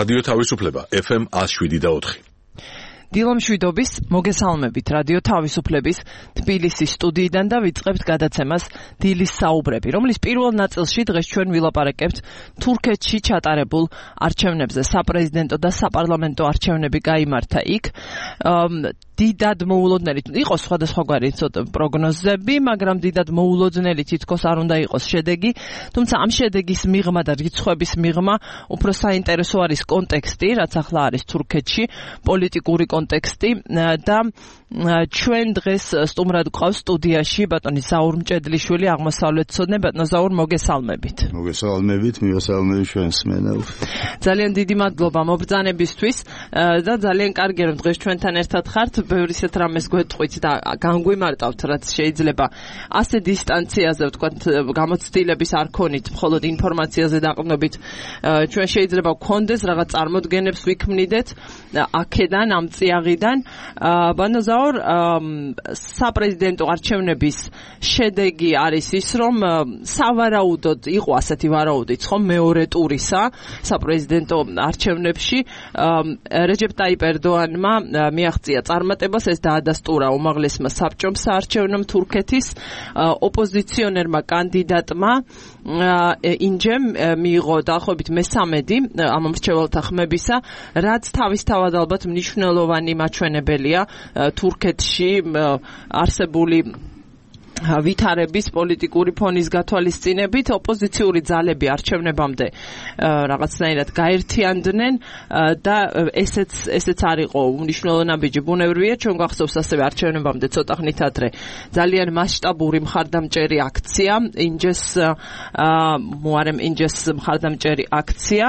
რადიო თავისუფლება FM 107.4. დილო მშვიდობის, მოგესალმებით რადიო თავისუფლების თბილისის სტუდიიდან და ვიწყებთ გადაცემას დილის საუბრები, რომლის პირველ ნაწილში დღეს ჩვენ ვილაპარაკებთ თურქეთში ჩატარებულ არჩევნებზე. საპრეზიდენტო და საპარლამენტო არჩევნები გაიმართა იქ. დიდად მოულოდნელი იყო სხვადასხვაგვარი პროგნოზები, მაგრამ დიდად მოულოდნელი თითქოს არ უნდა იყოს შედეგი, თუმცა ამ შედეგის მიღმა და რიცხვების მიღმა უფრო საინტერესო არის კონტექსტი, რაც ახლა არის თურქეთში, პოლიტიკური კონტექსტი და ჩვენ დღეს სტუმრად გვყავს სტუდიაში ბატონი ზაურ მჭედლიშვილი, აღმოსავლეთმცოდნე. ბატონო ზაურ, მოგესალმებით. მოგესალმებით, მივესალმებით ჩვენს მენელს. ძალიან დიდი მადლობა მობრძანებისთვის და ძალიან კარგია რომ დღეს ჩვენთან ერთად ხართ. ბევრი ისეთ რამეს გვეტყვით და განგვიმარტავთ, რაც შეიძლება ასე დისტანციაზე, ვთქვათ, გამოცდილების არ ქონით, მხოლოდ ინფორმაციაზე დაყრდნობით. ჩვენ შეიძლება გვქონდეს რაღაც წარმოდგენებს ვიქმნიდეთ აქედან, ამ წიაღიდან. ბატონო ზაურ, საპრეზიდენტო არჩევნების შედეგი არის ის, რომ სავარაუდოდ იყო ასეთი ვარაუდიც, ხომ, მეორე ტურისა საპრეზიდენტო არჩევნებში რეჯეპ ტაიპ ერდოანმა მიაღწია წარმატებას, ეს დაადასტურა უმაღლესმა საბჭომ საარჩევნო თურქეთის ოპოზიციონერმა კანდიდატმა ინჯემ მიიღო დაახლოებით მესამედი ამ მრჩეველთა ხმებისა, რაც თავისთავად ალბათ მნიშვნელოვანი მაჩვენებელია თურქეთში არსებული ვითარების პოლიტიკური ფონის გათვალისწინებით. ოპოზიციური ძალები არჩევნებამდე რაღაცნაირად გაერთიანდნენ და ესეც არ იყო უმნიშვნელო ნაბიჯი. ბუნებრივია, ჩვენ გვახსოვს ასევე არჩევნებამდე ცოტა ხნით ადრე ძალიან მასშტაბური მხარდამჭერი აქცია, ინჯეს მხარდამჭერი აქცია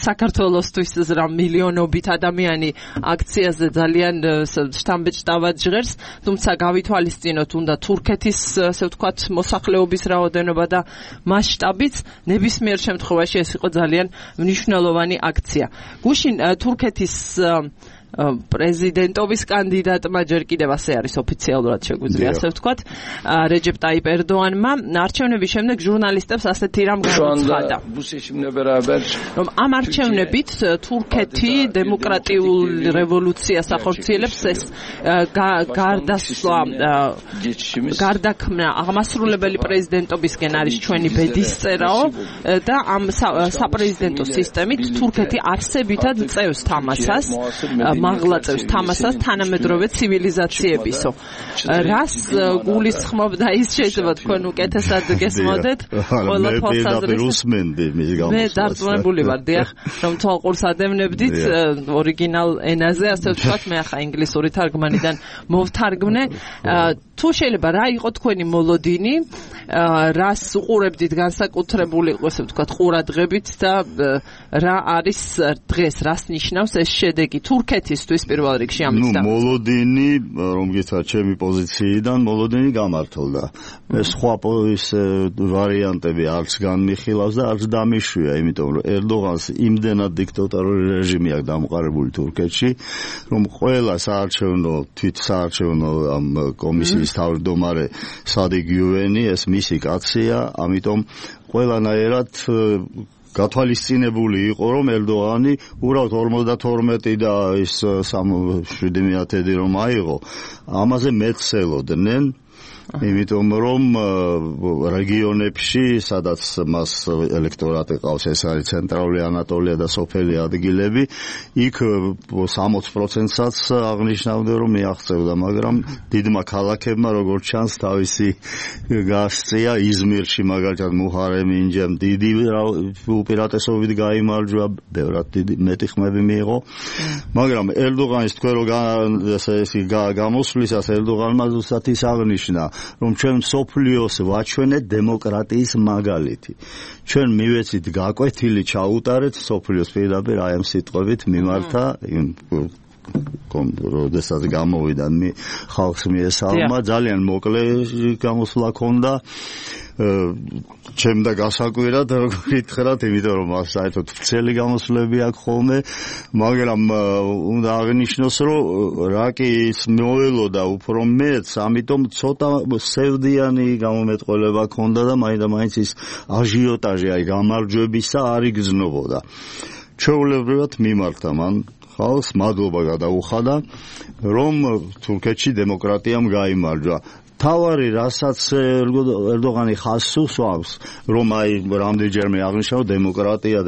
საქართველოსთვის მილიონობით ადამიანი აქციაზე ძალიან შთამბეჭდავად ჟღერს, თუმცა გავითვალისწინოთ უნდა თურქეთის ასე ვთქვათ მოსახლეობის რაოდენობა და მასშტაბიც, ნებისმიერ შემთხვევაში ეს იყო ძალიან მნიშვნელოვანი აქცია. გუშინ თურქეთის პრეზიდენტობის კანდიდატმა ჯერ კიდევ ასე არის ოფიციალურად შეგვიძლია ასე ვთქვათ, რეჯეპ ტაიპ ერდოანმა არჩევნების შემდეგ ჟურნალისტებს ასეთი რამ გამოცხადა, რომ ამ არჩევნებით თურქეთი დემოკრატიულ რევოლუციას ახორციელებს, ეს გარდასვლა, გარდაქმნა აღმასრულებელი პრეზიდენტობისკენ არის ჩვენი ბედისწერაო და ამ საპრეზიდენტო სისტემით თურქეთი არსებითად წევს თამასას, მაღლა წევს თამასას თანამედროვე ცივილიზაციებისო. რას გულისხმობდა ის, შეიძლება თქვენ უკეთესად გესმოდეთ ყველა თვალსაზრისით. მე დარწმუნებული ვარ, დიახ, რომ თვალყურს ადევნებდით ორიგინალ ენაზე, ასე ვთქვათ, მე ახლა ინგლისური თარგმანიდან მოვთარგმნე. თუ შეიძლება რა იყო თქვენი მოლოდინი, რას უყურებდით განსაკუთრებული, ასე ვთქვათ, ყურადღებით და რა არის დღეს, რას ნიშნავს ეს შედეგი თურქეთისთვის პირველ რიგში ამის და მოლოდინი, რომ გითხრათ ჩემი პოზიციიდან, მოლოდინი გამართლდა. მე სხვა ვარიანტები არც განმიხილავს და არც დამიშვია, იმიტომ რომ ერდოღანს იმდენად დიქტატორული რეჟიმი აქვს დამყარებული თურქეთში, რომ ყველა თვითსაარჩევნო ამ კომისიის თავმჯდომარე სადიგ იუვენი, ეს მისი კაცია, ამიტომ ყველანაირად გათვალისწინებული იყო, რომ ერდოღანი უბრალოდ 52 და ის 7/7 რომ აიღო, ამაზე მეცელოდნენ. იმიტომ რომ რეგიონებში, სადაც მას ელექტორატი ყავს, ეს არის ცენტრალური ანატოლია და სოფელი ადგილები, იქ 60%-საც აღნიშნავდა, რომ მიაღწევდა, მაგრამ დიდმა ქალაქებმა, როგორც ჩანს, თავისი გასწია. იზმირში მაგალითად მუჰარემ ინჯემ დიდი უპირატესობით გაიმარჯვა, ბევრად მეტი ხმები მიიღო, მაგრამ ერდოღანის თქვენ რომ გამოსვლისას ერდოღანმა ზუსტად ის აღნიშნა, რომ ჩვენ სოფლიოს ვაჩვენეთ დემოკრატიის მაგალითი. ჩვენ მივეცით გაკვეთილი ჩაუტარეთ სოფლიოს პირდაპირ აი ამ სიტყვებით მიმართა როდესაც გამოვიდა ხალხს მიესალმა, ძალიან მოკლე გამოსვლა ჰქონდა. ჩემ და გასაკვირად, როგორ გითხრათ, იმიტომ რომ საერთოდ ვრცელი გამოსვლები აქვს ხოლმე, მაგრამ უნდა აღნიშნოს, რომ რა კი ის მოელოდა უფრო მეც, ამიტომ ცოტა სევდიანი გამომეტყველება ჰქონდა და მაინც ის აჟიოტაჟი, აი გამარჯვებისა არ იგრძნობოდა. ჩვეულებრივად მიმართა მან ხალხს მადლობა გადაუხადა, რომ თურქეთში დემოკრატიამ გაიმარჯვა. თავარი რასაც ერდოღანი ხაზს უსვამს, რომ აი რამდენჯერმე აღნიშნავ დემოკრატია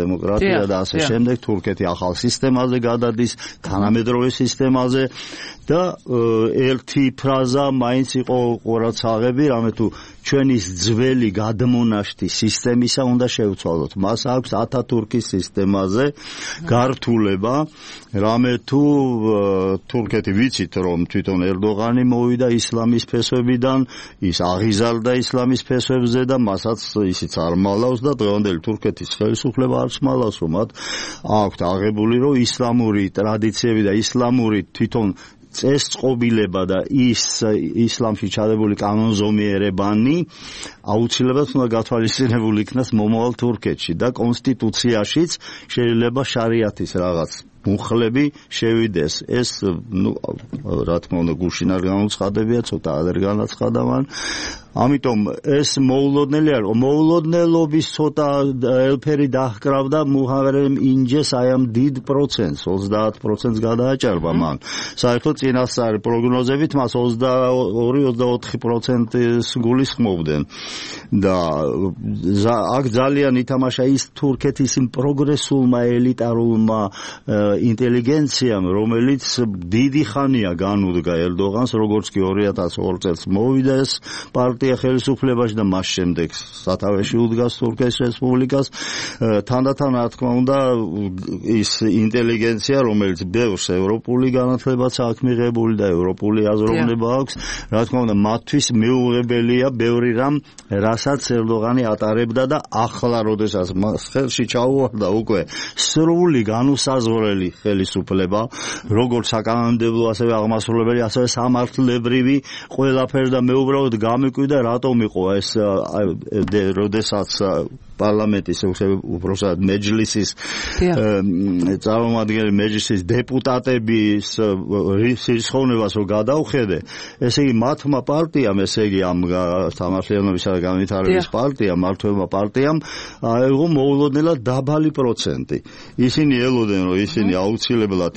და ასე შემდეგ, თურქეთი ახალ სისტემაზე გადადის, თანამედროვე სისტემაზე და ერთი ფრაზა მაინც იყო ყურადსაღები, რამე თუ ჩვენი ძველი გადმონაშთი სისტემისა უნდა შევცვალოთ. მას აქვს ათათურქის სისტემაზე გართულება, რამე თუ თურქეთი ვიცით, რომ თვითონ ერდოღანი მოვიდა ისლამის ფესვებიდან, ის აღიზარდა ისლამის ფესვებზე და მასაც ისიც არ მალავს და დღევანდელი თურქეთის ხელისუფლება არც მალავს, რომ მათ აქვთ აღებული, რომ ისლამური ტრადიციები და ისლამური თვითონ წესწყობილება და ისლამში ჩადებული კანონზომიერებანი აუცილებლად უნდა გათვალისწინებული იქნას მომავალ თურქეთში და კონსტიტუციაშიც შეიძლება შარიათის რაღაც მუხლები შევიდეს. ეს რა თქმა უნდა გუშინ არ განუცხადებია, ცოტა არ განაცხადა მან. ამიტომ ეს მოულოდნელი არ, მოულოდნელობის ცოტა ელფერი დაჰკრავდა მუჰარემ ინჯეს აი ამ დიდ პროცენტს, 30%-ს გადააჭარბა მან. საერთოდ წინასწარ პროგნოზებით მას 22-24%-ს გულისხმობდნენ და აქ ძალიან ითამაშა ის თურქეთის იმ პროგრესულმა ელიტარულმა ინტელიგენციამ, რომელიც დიდი ხანია განუდგა ერდოღანს, როგორც კი 2002 წელს მოვიდა ეს პარტია ხელისუფლებაში და მას შემდეგ სათავეში უდგას თურქეთის რესპუბლიკას. თანდათან რა თქმა უნდა ის ინტელიგენცია, რომელიც ბევრს ევროპული განათლებაც აქვს მიღებული და ევროპული აზროვნება აქვს, რა თქმა უნდა მათთვის მეუღებელია ბევრი რამ, რასაც ერდოღანი ატარებდა და ახლა როდესაც მას ხელში ჩაუვარდა უკვე სრული განუსაზღვრელი ხელისუფლება, როგორც საკანონმდებლო, ასევე აღმასრულებელი, ასევე სამართლებრივი ყველაფერი და მეუბრალოდ გამიკვირდა რატომ იყო ეს როდესაც პარლამენტის უბრალოდ მეჯლისის წარმომადგენელი მეჯლისის დეპუტატების რისხოვნებას რომ გადაუხედე, ესე იგი მათმა პარტიამ, ესე იგი ამ სამართლიანობისა და განვითარების პარტიამ, მმართველმა პარტიამ აიღო მოულოდნელად დაბალი პროცენტი. ისინი ელოდნენ, რომ ისინი აუცილებლად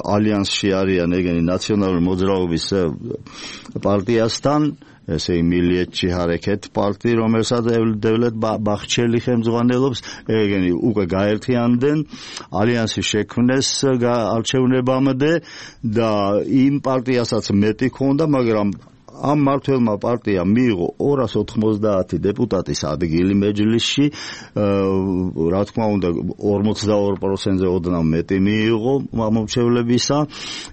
ალიანსში არიან ეგენი ნაციონალური მოძრაობის პარტიასთან, ესე იგი მილიეთჩი ჰარეკეთ პარტია, რომელსაც დევლეთ ბახჩელი ხელმძღვანელობს, ეგენი უკვე გაერთიანდნენ, ალიანსი შექმნეს არჩევნებამდე და იმ პარტიასაც მეტი ჰქონდა, მაგრამ ამ მმართველმა პარტიამ მიიღო 290 დეპუტატის ადგილი მეჯლისში, რა თქმა უნდა 42%-ზე ოდნავ მეტი მიიღო მომრჩევლებისა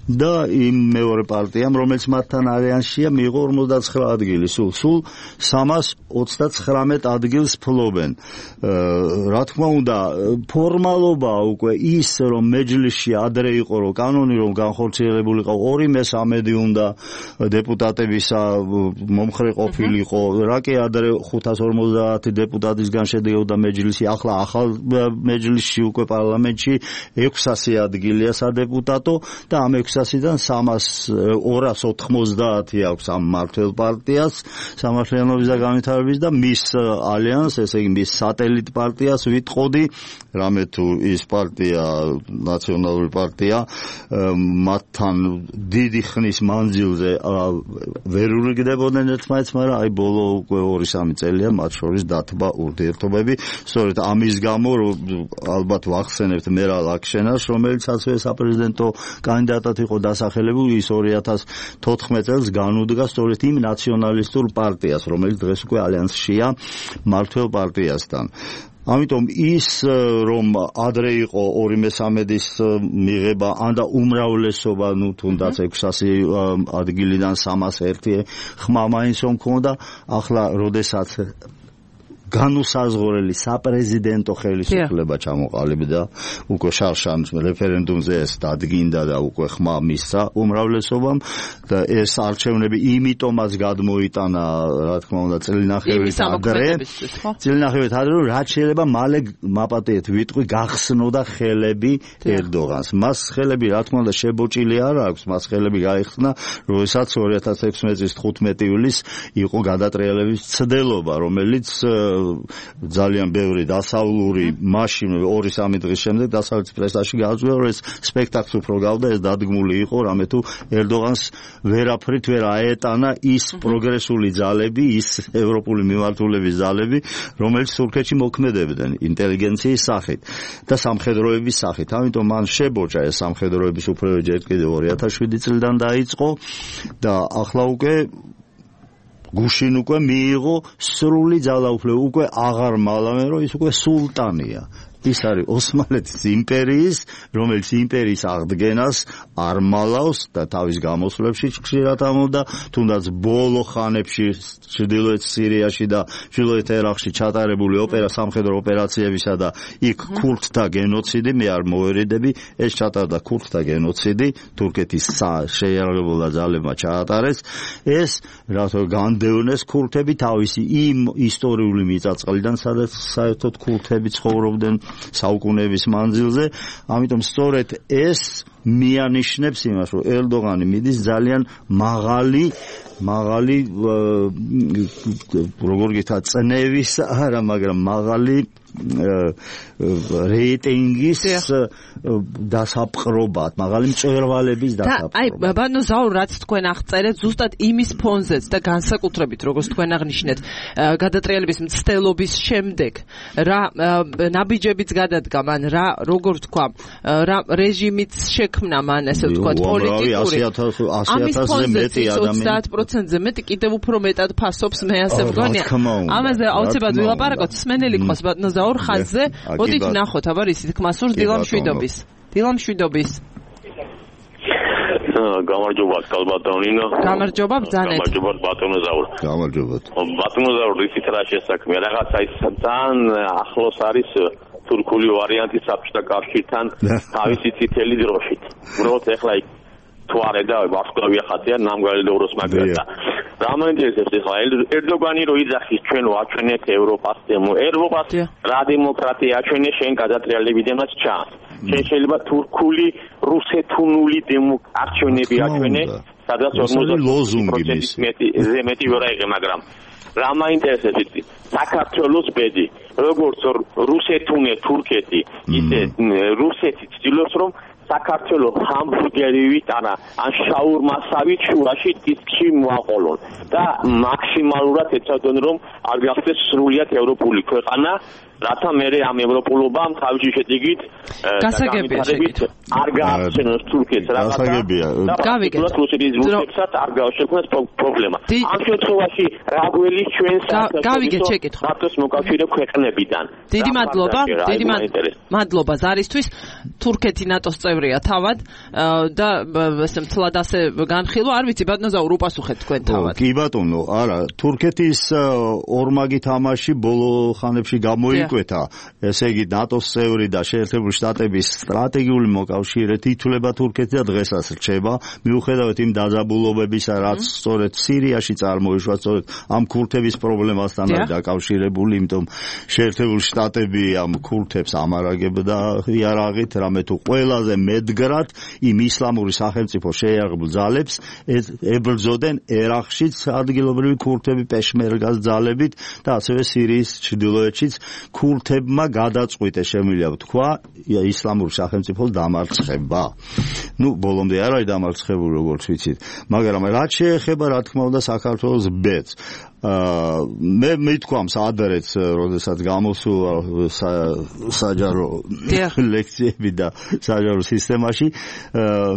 და იმ მეორე პარტიამ, რომელიც მათთან ალიანსშია, მიიღო 59 ადგილი, სულ 329 ადგილს ფლობენ. რა თქმა უნდა ფორმალობა უკვე ის, რომ მეჯლისში ადრე იყო, რომ კანონი რომ განხორციელებული იყო 2/3 უნდა დეპუტატებისა მომხრე ყოფილიყო, რა კი ადრე 550 დეპუტატისგან შედგებოდა მეჯლისი, ახლა ახალ მეჯლისში უკვე პარლამენტში 600 ადგილია სადეპუტატო და ამ 600-დან 290 აქვს ამ მმართველ პარტიას, სამართლიანობის და განვითარების და მის ალიანს, ესე იგი მის სატელიტ პარტიას ვიტყოდი, რამე თუ ის პარტია, ნაციონალური პარტია, მათთან დიდი ხნის მანძილზე ვერ ურიგდებოდნენ ერთმანეთს, მაგრამ აი ბოლო უკვე 2-3 წელია მათ შორის დათბა ურთიერთობები. სწორედ ამის გამო ალბათ ვახსენებთ მერალ აქშენას, რომელიცაც საპრეზიდენტო კანდიდატად იყო დასახელებული, ის 2014 წელს განუდგა სწორედ იმ ნაციონალისტურ პარტიას, რომელიც დღეს უკვე ალიანსშია მმართველ პარტიასთან. ამიტომ ის რომ ადრე იყო 2/3-ის მიღება, ანდა უმრავლესობა, თუნდაც 600 ადგილიდან 301 ხმა მაინც რომ ქონდა, ახლა როდესაც განუსაზღვრელი საპრეზიდენტო ხელისუფლება ჩამოყალიბდა, უკვე შარშან რეფერენდუმზე ეს დადგინდა და უკვე ხმა მისცა უმრავლესობამ და ეს არჩევნები იმიტომაც გადმოიტანა, რა თქმა უნდა, წელნახევრის ადრე, რაც შეიძლება მალე მაპატიეთ ვიტყვი გახსნოდა ხელები ერდოღანს. მას ხელები, რა თქმა უნდა, შებოჭილი არ აქვს, მას ხელები გაიხსნა, როდესაც 2016 წლის 15 ივლისს იყო გადატრიალების ცდელობა, რომელიც ძალიან ბევრი დასავლური მაშინ 2-3 დღის შემდეგ დასავლეთის პრესაში გააძღვა, რომ ეს სპექტაკლი უფრო გავდა, ეს დადგმული იყო, რამე თუ ერდოღანს ვერაფრით ვერ აეტანა ის პროგრესული ძალები, ის ევროპული მიმართულების ძალები, რომელიც თურქეთში მოქმედებდნენ ინტელიგენციის სახით და სამხედროების სახით. ამიტომ მან შებოჭა ეს სამხედროების უფლებები ჯერ კიდევ 2007 წლიდან დაიწყო და ახლა უკვე გუშინ უკვე მიიღო სრული ძალაუფლება, უკვე აღარ მალავენ, რომ ის უკვე სულტანია. ის არის ოსმალეთის იმპერიის, რომელიც იმპერიის აღდგენას არ მალავს და თავის გამოსვლებში ხშირად ამბობდა, თუნდაც ბოლო ხანებში ჩრდილოეთ სირიაში და ჩრდილოეთ ერაყში ჩატარებული სამხედრო ოპერაციებისა და იქ ქურთთა გენოციდი, მე არ მოვერიდები, ეს ჩატარდა ქურთთა გენოციდი, თურქეთის შეიარაღებულ ძალებმა ჩაატარეს, ეს რატო განდევნეს ქურთები თავისი იმ ისტორიული მიწაწყლიდან, სადაც საერთოდ ქურთები ცხოვრობდნენ საუკუნეების მანძილზე, ამიტომ სწორედ ეს მიანიშნებს იმას, რომ ერდოღანი მიდის ძალიან მაღალი როგორ გითხრათ, წნევის არა, მაგრამ მაღალი რეიტინგის დასაპყრობად, მაღალი მწვერვალების დასაპყრობად. აი, ბატონო ზაურ, რაც თქვენ აღწერეთ, ზუსტად იმის ფონზეც და განსაკუთრებით, როგორც თქვენ აღნიშნეთ, გადატრიალების მცდელობის შემდეგ, რა ნაბიჯებიც გადადგა მან, როგორ თქვა, რა რეჟიმიც შექმნა მან, ესე ვთქვათ, პოლიტიკური. 100,000-ზე მეტი ადამიანი 30%-ზე მეტი კიდევ უფრო მეტად ფასობს, მე ასე ვგონია. ამაზე აუცილებლად ვილაპარაკოთ, სმენელი ყავს ბატონო ზაურ ხაზზე. მოდით ვნახოთ, აბა ისიც ხმასურს დილამშვიდობის. გამარჯობა, კალბატონინო. გამარჯობა, ბრძანეთ. გამარჯობა, ბატონო ზაურ. გამარჯობა. ბატონო ზაურ, ისიც რა შესაქმია, რაღაცა ის ძალიან ახლოს არის თურქული ვარიანტი საბჭოთა კავშირთან თავისი წითელი დროშით. უბრალოდ ეხლა თუ არ და ვარსკვლავი ახატია ნამგალდეუროს მაგრატა. რა მაინტერესებს ეხლა ერდოგანი რო იძახის ჩვენ ვაჩვენეთ ევროპას ევროპას რა დემოკრატია აჩვენე შენ გადატრიალებიდანაც ჩანს. შენ შეიძლება თურქული რუსეთუნული არჩევნები აჩვენე, სადაც 40% მეტი ვერ აიღე, მაგრამ რა მაინტერესებს საქართველოს ბედი, როგორც რუსეთუნე თურქეთი, ისე რუსეთი ცდილობს რომ საქართველოს ჰამბურგერივით ან შაურმასავით შუაში დისკში მოაყოლონ და მაქსიმალურად ეცადონ რომ არ გახდეს სრულიად ევროპული ქვეყანა, რათა მერე ამ ევროპულობამ თავისი შედეგით არ გააჩენოს თურქეთს რაღაცა და გავიგეთ რუსეთსაც არ გააჩენოს პრობლემა. ამ შემთხვევაში რა გველის ჩვენ საქართველოს მოკავშირე ქვეყნებიდან. დიდი მადლობა ზარისთვის. თურქეთი ნატოს წევრია თავად და ესე მთლად ასე განხილვა, არ ვიცი ბატონო ზაურ, უპასუხეთ თქვენ თავად. კი ბატონო, არა, თურქეთის ორმაგი თამაში ბოლო ხანებში გამოიკვეთა, ესე იგი ნატოს წევრი და შეერთებული შტატების სტრატეგიული მოკავშირედ ითვლება თურქეთი და დღესაც რჩება, მიუხედავად იმ დაძაბულობებისა, რაც სწორედ სირიაში წარმოიშვა, სწორედ ამ ქურთების პრობლემასთან არის დაკავშირებული, იმიტომ შეერთებული შტატები ამ ქურთებს ამარაგებდა იარაღით, რამე თუ ყველაზე მედგრად იმ ისლამური სახელმწიფო შეიარაღებულ ძალებს ებრძოდნენ ერაყშიც ადგილობრივი ქურთები პეშმერგას ძალებით და ასევე სირიის ჩრდილოეთშიც ქურთებმა გადაწყვიტეს, შემიძლია ვთქვა, ისლამური სახელმწიფოს დამარცხება. ბოლომდე არ არის დამარცხებული, როგორც ვიცით, მაგრამ რაც შეეხება, რა თქმა უნდა, საქართველოს ბედს. მე მithქვამს ადრეც, როდესაც გამოსულა საჯარო ლექციები და საჯარო სისტემაში,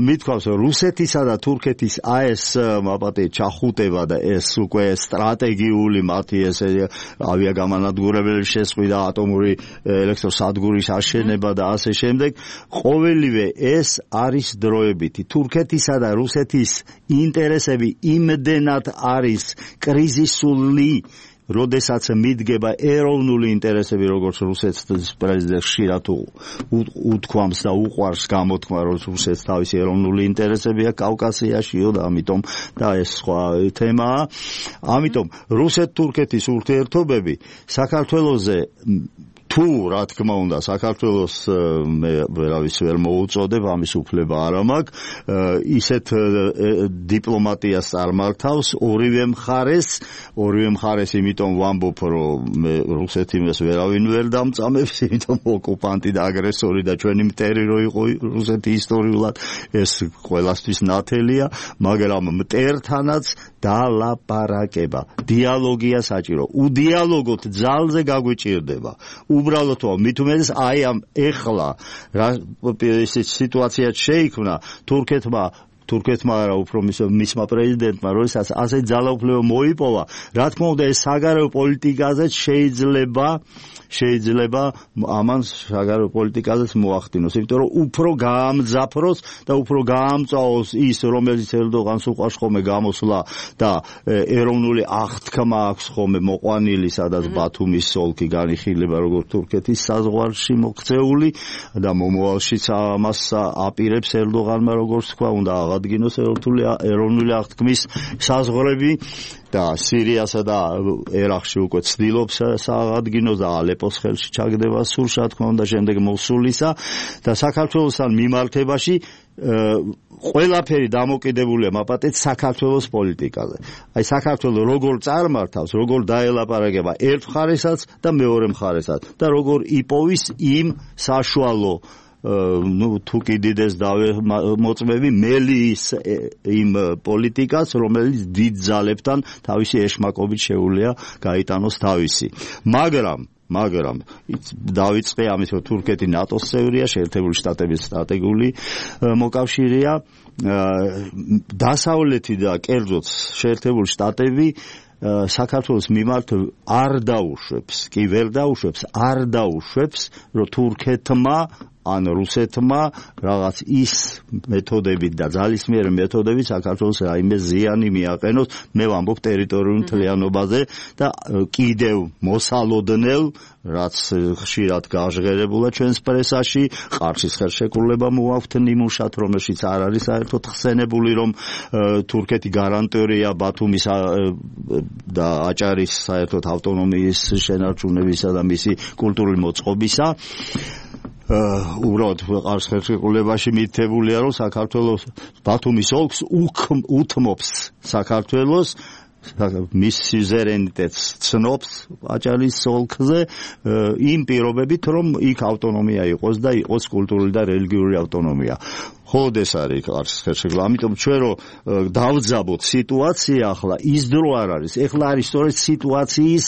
მithქვამს, რომ რუსეთისა და თურქეთის ეს მაპატე ჩახუტება და ეს უკვე სტრატეგიული მათი ეს ავიაგამანადგურებელი შესყიდა, ატომური ელექტროსადგურის აშენება და ასე შემდეგ, ყოველივე ეს არის დროებითი. თურქეთისა და რუსეთის ინტერესები იმდენად არის კრიზისული, როდესაც მიდგება ეროვნული ინტერესები, როგორც რუსეთის პრეზიდენტ ხშირად უთქვამს და უყვარს გამოთქმა, რომ რუსეთს თავისი ეროვნული ინტერესები აქვს კავკასიაშიო და ამიტომ და ეს სხვა თემაა. ამიტომ რუსეთ-თურქეთის ურთიერთობები საქართველოზე თუ რა თქმა უნდა საქართველოს მე ვერავის ვერ მოუწოდებ ამის უფლება არ მაქვს ისეთ დიპლომატიას წარმართავს ორივე მხარეს იმიტომ ვამბობ რომ მე რუსეთიმეს ვერავინ ვერ დამწამებს იმიტომ ოკუპანტი და აგრესორი და ჩვენი მტერი რო იყო რუსეთი ისტორიულად ეს ყველასთვის ნათელია მაგრამ მტერთანაც დალაპარაკება დიალოგია საჭირო უდიალოგოთ ძალზე გაგვიჭირდება უბრალოდ მით უმეტეს აი ამ ეხლა ეს სიტუაცია შეიქმნა თურქეთმა არა უფრო მისმა პრეზიდენტმა როდესაც ასე ძალაუფლება მოიპოვა რა თქმა უნდა ეს საგარეო პოლიტიკაზეც შეიძლება ამან საგარეო პოლიტიკაზეც მოახდინოს იმიტომ რომ უფრო გაამძაფროს და უფრო გაამწვაოს ის რომელიც ერდოღანს უყვარს ხოლმე გამოსვლა და ეროვნული აღთქმა აქვს ხოლმე მოყვანილი სადაც ბათუმის ოლქი განიხილება როგორც თურქეთის საზღვარში მოქცეული და მომავალშიც ამას აპირებს ერდოღანმა როგორც თქვა უნდა აღადგინოს ეროვნული აღთქმის საზღვრები და სირიასა და ერაყში უკვე ცდილობს სააღადგინოს და ალეპოს ხელში ჩაგდება სულს რა თქმა უნდა შემდეგ მოსულისა და საქართველოსთან მიმართებაში ყველაფერი დამოკიდებულია მაპატეთ საქართველოს პოლიტიკაზე. აი საქართველოს როგორ წარმართავს, როგორ დაელაპარაკება ერთ მხარესაც და მეორე მხარესაც და როგორ იპოვის იმ საშუალო თუ კიდიდეს მოწმები მელის იმ პოლიტიკას რომელიც დიდ ძალებთან თავისი ეშმაკობით შეუძლია გაიტანოს თავისი მაგრამ დავიწყე ამის რომ თურქეთი ნატოს წევრია შეერთებული შტატების სტრატეგიული მოკავშირეა დასავლეთი და კერძოდ შეერთებული შტატები საქართველოს მიმართ არ დაუშვებს რომ თურქეთმა ან რუსეთმა რაღაც ის მეთოდებით და ძალისმიერი მეთოდებით საქართველოს რაიმე ზიანი მიაყენოს მე ვამბობ ტერიტორიულ მთლიანობაზე და კიდევ მოსალოდნელ რაც ხშირად გაჟღერებულა ჩვენს პრესაში ყარშის ხელშეკრულება მოაქვთ ნიმუშად რომელშიც არ არის საერთოდ ხსენებული რომ თურქეთი გარანტორია ბათუმის და აჭარის საერთოდ ავტონომიის შენარჩუნებისა და მისი კულტურული მოწყობისა უბრალოდ ყარს ხელშეკრულებაში მითებულია რომ საქართველოს ბათუმის ოლქს უთმობს საქართველოს მის სუზერენიტეტს ცნობს აჭარის ოლქზე იმ პირობებით რომ იქ ავტონომია იყოს და იყოს კულტურული და რელიგიური ავტონომია ხოდ ეს არის ყარს ხელშეკრულება ამიტომ ჩვენ რომ დავძაბოთ სიტუაცია ახლა ის დრო არ არის ეხლა არის სწორედ სიტუაციის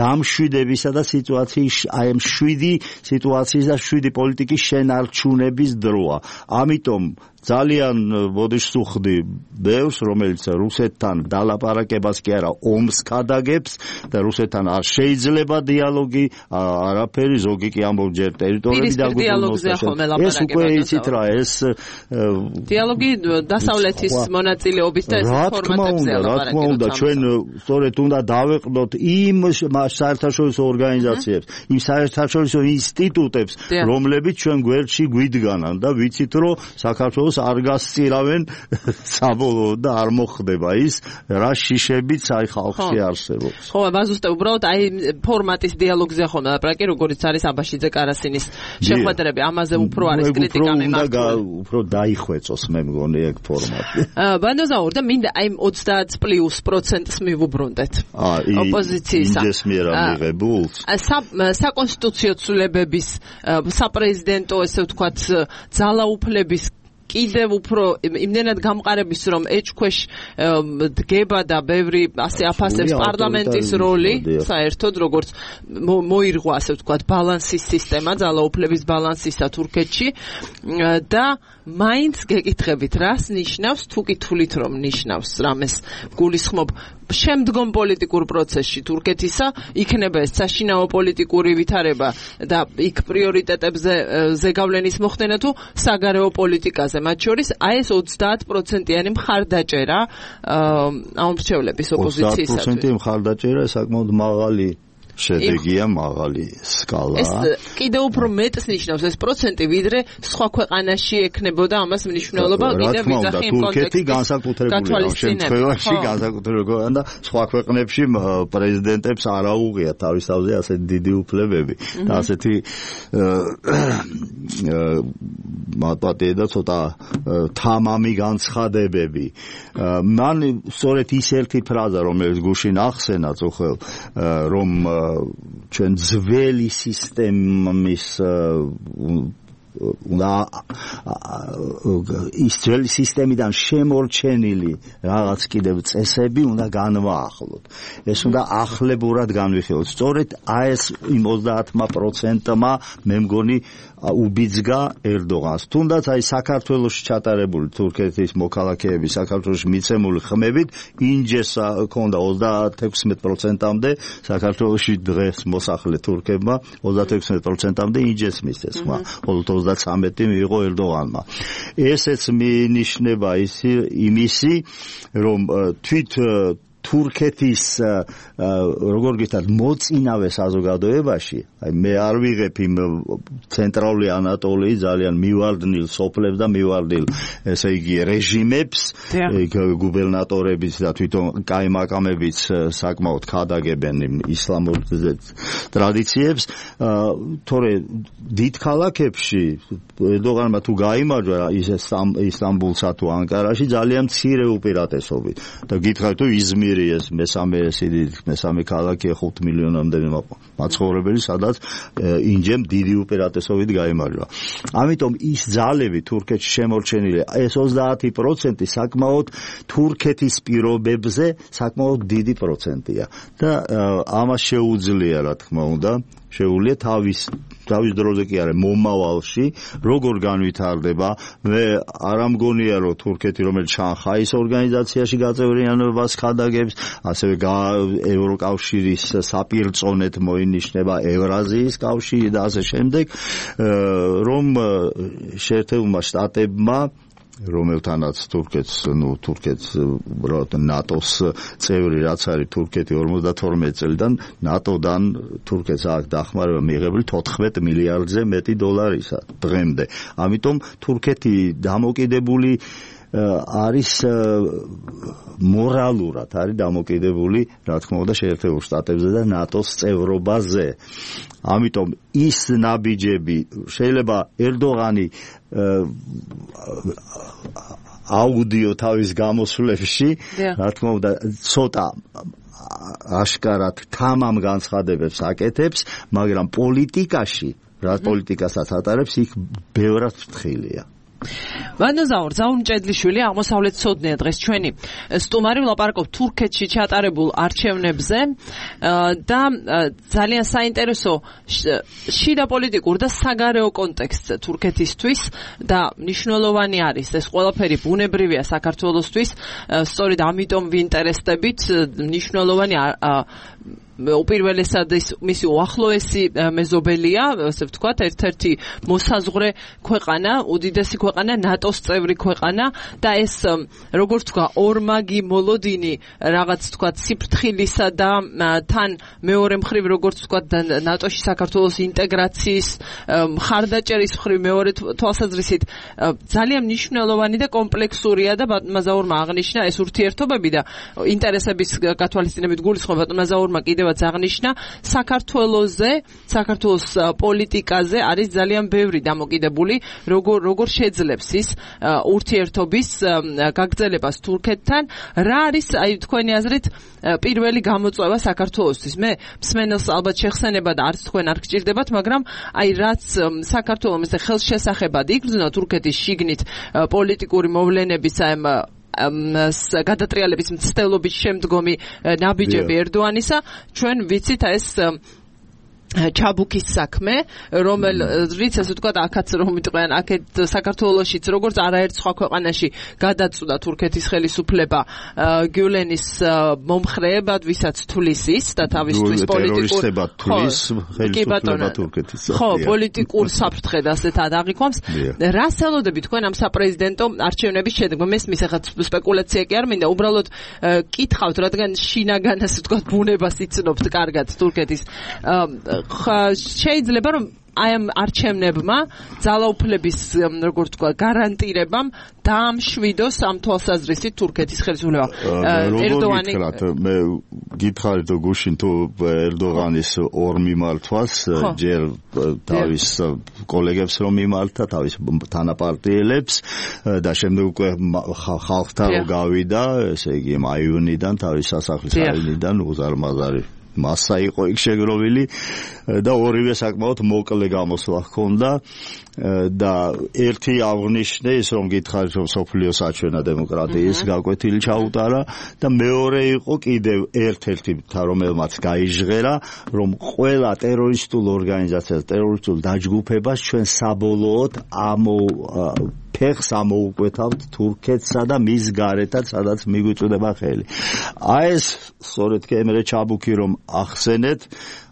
დამშვიდებისა და სიტუაციის აი ამ 7 სიტუაციის და 7 პოლიტიკის შენარჩუნების დროა ამიტომ ძალიან ბოდიშს უხდი ბევრს რომელიც რუსეთთან დალაპარაკებას კი არა ომს ქადაგებს და რუსეთთან არ შეიძლება დიალოგი არაფერი ზოგი კი ამბობს ჯერ ტერიტორიები დაგვიბრუნოს ეს უკვე იცით რა ეს დიალოგი დასავლეთის მონაწილეობის და ეს ფორმატებზე რა თქმა უნდა ჩვენ სწორედ უნდა დავეყნოთ იმ საერთაშორისო ორგანიზაციებს იმ საერთაშორისო ინსტიტუტებს რომლებიც ჩვენ გვერდში გვიდგანან და ვიცით რომ საქართველოს არ გასწირავენ საბოლოოდ და არ მოხდება ის რა შიშებიც აი ხალხში არსებობს ხო ბაზუსტე უბრალოდ აი ფორმატის დიალოგზე ხომ ლაპარაკი როგორც არის აბაშიძე კარასინის შეხვედრები ამაზე უფრო არის კრიტიკა მიმართული უფრო დაიხვეწოს მე მგონი ეგ ფორმატი ბანდოზაურ და მინდა აი 30+%-ს მივუბრუნდეთ ოპოზიციისა იმდეს მიერ ამიღებულს საკონსტიტუციო ცვლილებების საპრეზიდენტო ესე ვთქვათ ძალაუფლების კიდევ უფრო იმდენად გამყარების რომ ეჭქვეშ დგება და ბევრი ასე აფასებს პარლამენტის როლი საერთოდ როგორც მოირღვა ასე ვთქვათ ბალანსის სისტემა ძალაუფლების ბალანსისა თურქეთში და მაინც გეკითხებით რას ნიშნავს თუ კითხულით რომ ნიშნავს რამეს გულისხმობ შემდგომ პოლიტიკურ პროცესში თურქეთისა იქნება ეს საშინაო პოლიტიკური ვითარება და იქ პრიორიტეტებზე ზეგავლენის მოხდენა თუ საგარეო პოლიტიკაზე მათ შორის აი ეს 30%-იანი მხარდაჭერა ამ მრჩევლების ოპოზიციისათვის 30% მხარდაჭერა საკმაოდ მაღალი შედეგია მაღალი სკალა. ეს კიდევ უფრო მეტს ნიშნავს ეს პროცენტი, ვიდრე სხვა ქვეყანაში ექნებოდა ამას მნიშვნელობა კიდევ ვიზახი იმ თურქეთი განსაკუთრებული შემთხვევაში განსაკუთრებული და სხვა ქვეყნებში პრეზიდენტებს არ აუღიათ თავისთავზე ასეთი დიდი უფლებები და ასეთი მარტივი და ცოტა თამამი განცხადებები. მან სწორედ ის ერთი ფრაზა, რომელიც გუშინ ახსენა წუხელ, რომ ჩვენ ძველი სისტემის ის ძველი სისტემიდან შემორჩენილი რაღაც კიდევ წესები უნდა განვაახლოთ. ეს უნდა ახლებურად განვიხილოთ. სწორედ ეს იმ 30%-მა მე მგონი უბიძგა ერდოღანს. თუნდაც აი საქართველოში ჩატარებული თურქეთის მოქალაქეების საქართველოში მიცემული ხმებით ინჯეს ქონდა 36%-მდე საქართველოში დღეს მოსახლე თურქებმა 36%-მდე ინჯეს მისცეს ხმა. 33 მიიღო ერდოღანმა. ესეც მინიშნება იმისი, რომ თვით თურქეთის როგორ გითხრათ მოწინავე საზოგადოებაში, აი მე არ ვიღებ იმ ცენტრალური ანატოლიის ძალიან მივარდნილ სოფლებს და მივარდნილ ესე იგი რეჟიმებს, გუბერნატორებიც და თვითონ კაიმაკამებიც საკმაოდ ქადაგებენ იმ ისლამურ ტრადიციებს, თორე დიდ ქალაქებში ერდოღანმა თუ გაიმარჯვა ისტამბულსა თუ ანკარაში ძალიან მცირე უპირატესობით და გითხარით თუ იზმირი ეს მესამე ქალაქია 5 მილიონამდე მაცხოვრებელი, სადაც ინჯემ დიდი უპირატესობით გაიმარჯვა. ამიტომ ის ძალები თურქეთში შემორჩენილი, ეს 30% საკმაოდ თურქეთის პირობებზე საკმაოდ დიდი პროცენტია და ამას შეუძლია, რა თქმა უნდა, შეუძლია თავის დროზე კი არა მომავალში როგორ განვითარდება. მე არ ამგონია რომ თურქეთი რომელიც შანხაის ორგანიზაციაში გაწევრიანებას ხადაგებს, ასევე ევროკავშირის საპირწონედ მოინიშნება ევრაზიის კავშირი და ასე შემდეგ, რომ შეერთებულმა შტატებმა რომელთანაც თურქეთს ნატოს წევრი რაც არის თურქეთი 52 წელიდან ნატოდან თურქეთს აქვს დახმარება მიიღებული 14 მილიარდზე მეტი დოლარისა დღემდე. ამიტომ თურქეთი დამოკიდებული არის მორალურად არის დამოკიდებული, რა თქმა უნდა, შეერთებულ შტატებზე და ნატოს წევრობაზე. ამიტომ ის ნაბიჯები შეიძლება ერდოღანი აუდიო თავის გამოსვლებში, რა თქმა უნდა, ცოტა აშკარად თამამ განცხადებებს აკეთებს, მაგრამ პოლიტიკაში, რა პოლიტიკასაც ატარებს, იქ ბევრად ფრთხილია. ვანოზაურ ზაუნჭედლიშვილი აღმოსავლეთცოდნია დღეს ჩვენი სტუმარი, ვლაპარაკობთ თურქეთში ჩატარებულ არჩევნებზე და ძალიან საინტერესო შიდა პოლიტიკურ და საგარეო კონტექსტზე თურქეთისთვის და მნიშვნელოვანი არის ეს ყველაფერი ბუნებრივია საქართველოსთვის, სწორედ ამიტომ ვინტერესდებით, მნიშვნელოვანი უპირველესად მისი უახლოესი მეზობელია, ასე ვთქვათ, ერთ-ერთი მოსაზღვრე ქვეყანა, უდიდესი ქვეყანა, ნატოს წევრი ქვეყანა და ეს როგორც თქვა ორმაგი მოლოდინი რაღაც თქვა სიფრთხილისა და თან მეორე მხრივ როგორც თქვა ნატოში საქართველოს ინტეგრაციის მხარდაჭერის მხრივ მეორე თვალსაზრისით ძალიან მნიშვნელოვანი და კომპლექსურია და ბატონმა აღნიშნა ეს ურთიერთობები და ინტერესების გათვალისწინებით გულისხმობა ბატონმა კიდევ აღნიშნა საქართველოს პოლიტიკაზე არის ძალიან ბევრი დამოკიდებული, როგორ შეძლებს ის ურთიერთობის გაგრძელებას თურქეთთან, რა არის აი თქვენი აზრით პირველი გამოწვევა საქართველოსთვის. მე მსმენელს ალბათ შეხსენება და არც თქვენ არ გჭირდებათ, მაგრამ აი რაც საქართველოს ხელშესახებად იგრძნო თურქეთის შიგნით პოლიტიკური მოვლენების გადატრიალების მცდელობის შემდგომი ნაბიჯები ერდოანისა, ჩვენ ვიცით ეს ჩაბუქის საქმე, რომელიც ასე ვთქვათ, აქაც რომ მიტყვიან, აქეთ საქართველოშიც როგორც არაერთ სხვა ქვეყანაში გადაწყვიტა თურქეთის ხელისუფლება გიულენის მომხრეებად, ვისაც თulis ის და თავისთვის პოლიტიკურ ხელისუფლება თურქეთის. ხო, პოლიტიკურ საფრთხედ ასეთად აღიქვამს. რას ელოდებით თქვენ ამ საპრეზიდენტო არჩევნების შედეგ? მესმის ახლა სპეკულაცია კი არ მინდა, უბრალოდ კითხავთ, რადგან შინაგან ასე ვთქვათ, ბუნებას იცნობთ კარგად თურქეთის შეიძლება რომ აი ამ არჩევნებმა ძალაუფლების როგორც თქვა გარანტირებამ დაამშვიდოს ამ თვალსაზრისით თურქეთის ხელისუფლება. ერდოანი მე გითხარით თუ გუშინ თუ ერდოღანის ორ მიმართვას ჯერ თავის კოლეგებს რომ მიმართა, თავის თანაპარტიელებს და შემდეგ უკვე ხალხთან გავიდა, ესე იგი მაიუნიდან თავის სასახლის აინიდან უზარმაზარი მასა იყო იქ შეგროვილი და ორივე საკმაოდ მოკლე გამოსვლა ჰქონდა და ერთი აღნიშნე ის რომ გითხარით რომ სოფლიო საჩვენა დემოკრატიის გაკვეთილი ჩაუტარა და მეორე იყო კიდევ ერთ-ერთი რომელმაც გაიჟღერა რომ ყველა ტერორისტულ ორგანიზაციას, ტერორისტულ დაჯგუფებას ჩვენ საბოლოოდ ფეხს ამოუკვეთავთ თურქეთსა და მის გარეთაც, სადაც მიგვიწვდება ხელი. აი ეს სწორედ კემერე ჩაბუქი რომ ახსენეთ,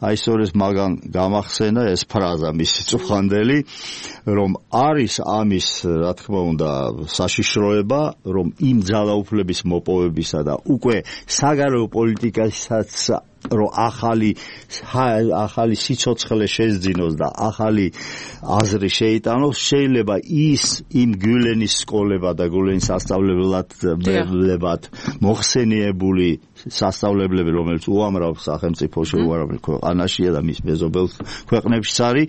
აი სწორედ მაგან გამახსენა ეს ფრაზა მისი წუხანდელი, რომ არის ამის, რა თქმა უნდა, საშიშროება, რომ იმ ძალაუფლების მოპოვებისა და უკვე საგარეო პოლიტიკასაც რომ ახალი სიცოცხლე შეძინოს და ახალი აზრი შეიტანოს, შეიძლება ის იმ გიულენის სკოლებად და გიულენის სასწავლებლებად მოხსენიებული სასწავლებლები, რომელიც უამრავ სახელმწიფოში, უამრავ ქვეყანაშია და მის მეზობელ ქვეყნებშიც არის,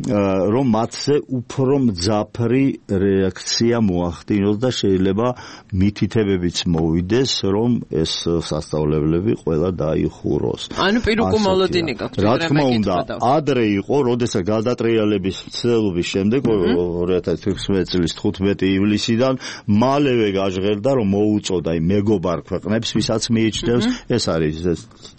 რომ მათზე უფრო მძაფრი რეაქცია მოახდინოს და შეიძლება მითითებებიც მოვიდეს, რომ ეს სასწავლებლები ყველა დაიხუროს. ანუ პირუკუ მოლოდინი გაქვთ. რა თქმა უნდა, ადრე იყო, როდესაც გადატრიალების მცდელობის შემდეგ 2016 წლის 15 ივლისიდან მალევე გაჟღერდა, რომ მოუწოდა იმ მეგობარ ქვეყნებს, ვისაც მიიჩნევს, ეს არის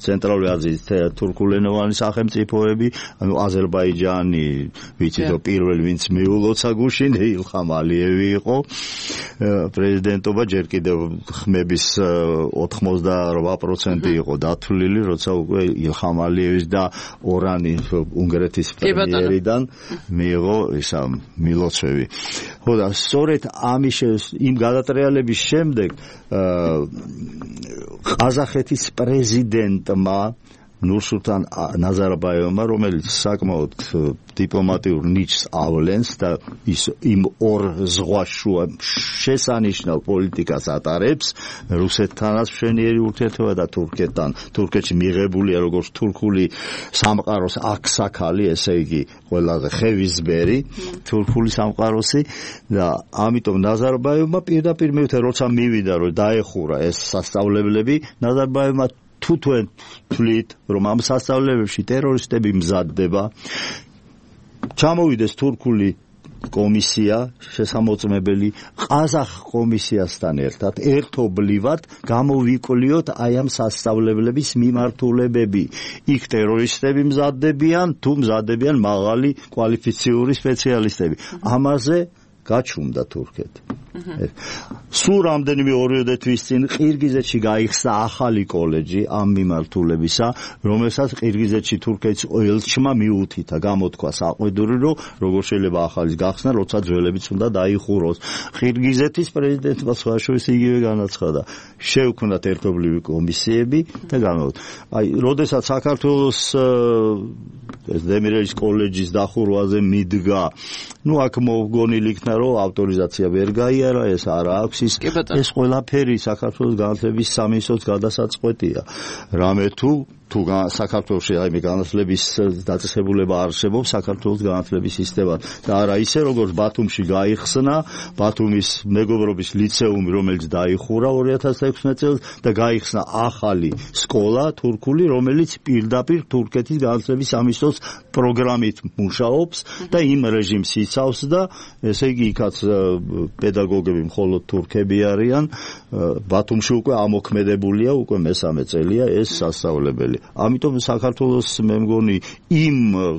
ცენტრალური აზიის თურქულენოვანი სახელმწიფოები, ანუ აზერბაიჯანი, ვიცით რომ პირველი ვინც მიულოცა გუშინ ილხამ ალიევი იყო პრეზიდენტობა, ჯერ კიდევ ხმების 88% იყო დათვლილი, როცა უკვე ილხამ ალიევის და ორანი უნგრეთის პრემიერიდან მიიღო ისა მილოცვები. ხო და სწორედ იმ გადატრიალების შემდეგ ყაზახეთის პრეზიდენტმა ნურსულთან ნაზარბაევმა, რომელიც საკმაოდ დიპლომატიურ ნიჭს ავლენს და ის იმ ორ ზღვაშუა შესანიშნავ პოლიტიკას ატარებს, რუსეთთანაც მშვენიერი ურთიერთობა და თურქეთთან, თურქეთში მიღებულია როგორც თურქული სამყაროს აქსაქალი, ესე იგი ყველაზე ხევისბერი თურქული სამყაროსი და ამიტომ ნაზარბაევმა პირდაპირ მივიდა, როცა მივიდა რომ დაეხურა ეს სასწავლებლები, ნაზარბაევმა თუ თქვენ თვლით, რომ ამ სასწავლებელში ტერორისტები მზადდება, ჩამოვიდეს თურქული კომისია შესამოწმებელი ყაზახ კომისიასთან ერთად ერთობლივად გამოვიკვლიოთ აი ამ სასწავლებლების მიმართულებები. იქ ტერორისტები მზადდებიან, თუ მზადდებიან მაღალი კვალიფიციური სპეციალისტები. ამაზე გაჩუმდა თურქეთი. სულ რამდენიმე ორიოდე თვის წინ ყირგიზეთში გაიხსნა ახალი კოლეჯი ამ მიმართულებისა, რომელსაც ყირგიზეთში თურქეთის ელჩმა მიუთითა, გამოთქვა საყვედური, რომ როგორ შეიძლება ახალის გახსნა, როცა ძველებიც უნდა დაიხუროს. ყირგიზეთის პრეზიდენტმა სხვაშორის იგივე განაცხადა, შევქმნათ ერთობლივი კომისიები და აი, როდესაც საქართველოს ეს დემირელის კოლეჯის დახურვაზე მიდგა, აქ მოგონილი იქნა, რომ ავტორიზაცია ვერ გაიარა, ეს არა აქვს ის ყველაფერი საქართველოს განათლების სამინისტროს გადასაწყვეტია. რამე თუ საქართველოში აი განათლების დაწესებულება არსებობს საქართველოს განათლების სისტემა და არა ისე როგორც ბათუმში გაიხსნა ბათუმის მეგობრობის ლიცეუმი, რომელიც დაიხურა 2016 წელს და გაიხსნა ახალი სკოლა თურქული, რომელიც პირდაპირ თურქეთის განათლების სამინისტროს პროგრამით მუშაობს და იმ რეჟიმს იცავს და ესე იგი იქაც პედაგოგები მხოლოდ თურქები არიან. ბათუმში უკვე ამოქმედებულია, უკვე მესამე წელია ეს სასწავლებელი. ამიტომ საქართველოს მე მგონი იმ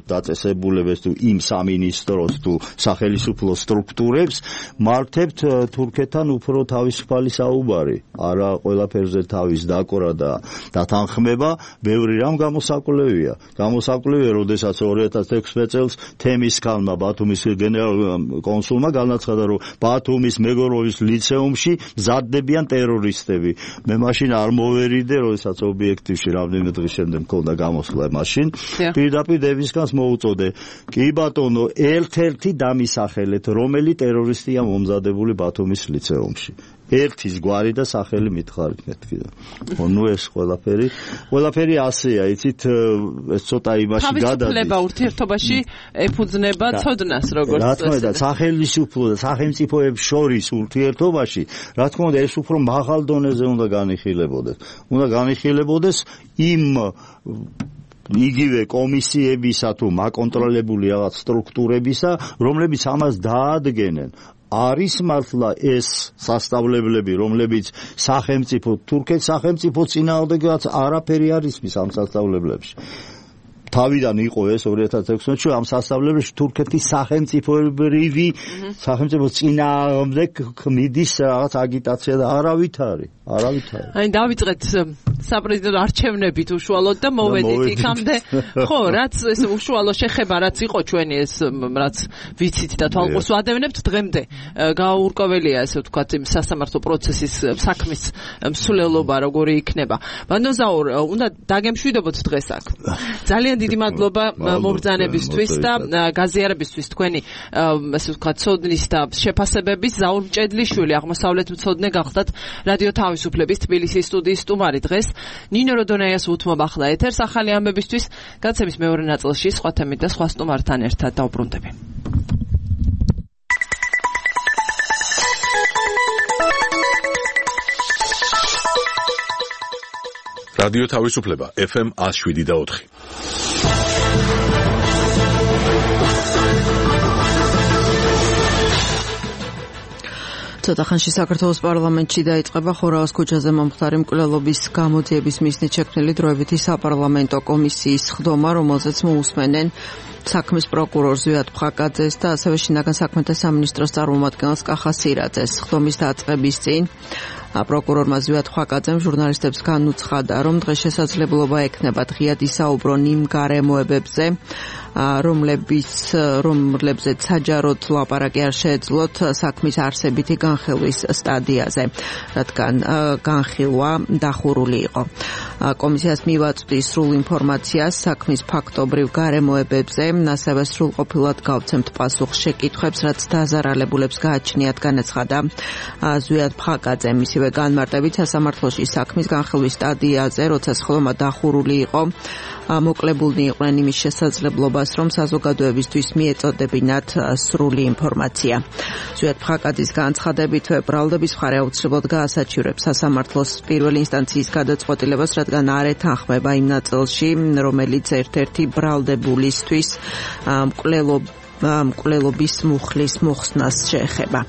დაწესებულებას თუ იმ სამინისტროს თუ სახელმწიფო სტრუქტურებს მართებთ თურქეთთან უფრო თავისუფალი საუბარი, არა ყველაფერზე თავის დაკვრა და დათანხმება, ბევრი რამ გამოსაკვლევია. გამოსაკვლევია, როდესაც 2016 წელს თემისქალმა ბათუმის გენერალ კონსულმა განაცხადა, რომ ბათუმის მეგროვის ლიცეუმში მზადდებიან ტერორისტები. მე მაშინ არ მოვერიდე, როდესაც ობიექტივში რამდენიმე დღის შემდეგ მქონდა გამოსვლა მაშინ. პირდაპირ დევისკანს მოუწოდე. კი ბატონო, ერთ-ერთი დამისახელეთ, რომელი ტერორისტია მომზადებული ბათუმის ლიცეუმში. ერთის გვარი და სახელი მითხარით მეთქი. ნუ ეს ყველაფერი ასეა, იცით, ეს ცოტა იმაში გადადის. თავისუფლება ურთიერთობაში ეფუძნება ცოდნას, როგორც რა თქმა უნდა, სახელმწიფო და სახელმწიფოებს შორის ურთიერთობაში, რა თქმა უნდა, ეს უფრო მაღალ დონეზე უნდა განიხილებოდეს. უნდა განიხილებოდეს იმ იგივე კომისიებისა თუ მაკონტროლებული რაღაც სტრუქტურებისა, რომლებიც ამას დაადგენენ. არის მართლა ეს სასწავლებლები, რომლებიც სახელმწიფო თურქეთის სახელმწიფო წინააღმდეგაც არაფერი არ ისმის ამ სასწავლებლებში. თავიდან იყო ეს 2016-წელს ამ სასწავლებლებში თურქეთის სახელმწიფოებრივი სახელმწიფო წინააღმდეგ მიდის რაღაც აგიტაცია და არავით არის. აი დავიწყეთ საპრეზიდენტო არჩევნებით უშუალოდ და მოვედით იქამდე. ხო, რაც ეს უშუალო შეხება რაც იყო ჩვენი ეს რაც ვიცით და თვალყურს ვადევნებთ დღემდე გაურკვეველია ესე ვთქვათ იმ სასამართლო პროცესის საქმის მსვლელობა როგორი იქნება. ბანოზაურ უნდა დაგემშვიდობოთ დღეს აქ. ძალიან დიდი მადლობა მობრძანებისთვის და გაზიარებისთვის თქვენი ესე ვთქვათ ცოდნის და შეფასებების. ზაურ მჭედლიშვილი აღმოსავლეთ მცოდნე გახდათ რადიო თავისუფლების თბილისის სტუდიის სტუმარი დღეს. ნინო როდონაიას უთმობ ახლა ეთერს ახალი ამბებისთვის. გაცემის მეორე ნაწილში სხვა თემით და სხვა სტუმართან ერთად დავბრუნდები. რადიო თავისუფლება FM 107.4. ცოტა ხანში საქართველოს პარლამენტში დაიწყება ხორაოს ქუჩაზე მომხდარი მკვლელობის გამოძიების მიზნით შექმნილი დროებითი საპარლამენტო კომისიის ხდომა, რომელზეც მოусმენენ საქმის პროკურორ ზვიად ფხაკაძეს და ასევე შინაგან საქმეთა სამინისტროს წარმომადგენელს კახა სირაძეს. ხდომის დაწყების წინ პროკურორმა ზვიად ფხაკაძემ ჟურნალისტებს განუცხადა, რომ დღეს შესაძლებლობა ექნება ღიად ისაუბრონ იმ გარემოებებზე, რომლებზეც საჯაროდ ლაპარაკი არ შეეძლოთ საქმის არსებითი განხილვის სტადიაზე, რადგან განხილვა დახურული იყო. კომისიას მივაწვდი სრულ ინფორმაციას საქმის ფაქტობრივ გარემოებებზე, ასევე სრულყოფილად გავცემთ პასუხს შეკითხვებს, რაც დაზარალებულებს გააჩნიათ, განაცხადა ზვიად ფხაკაძემ. ისევე განმარტებით სასამართლოში საქმის განხილვის სტადიაზე, როცა სხდომა დახურული იყო, მოკლებულნი იყვნენ იმის შესაძლებლობას, რომ საზოგადოებისთვის მიეწოდებინათ სრული ინფორმაცია. ზვიად ფხაკაძის განცხადებით, ბრალდების მხარე აუცილებლად გაასაჩივრებს სასამართლოს პირველი ინსტანციის გადაწყვეტილებას, რადგან არ ეთანხმება იმ ნაწილში, რომელიც ერთ-ერთი ბრალდებულისთვის მკვლელობის მუხლის მოხსნას შეეხება.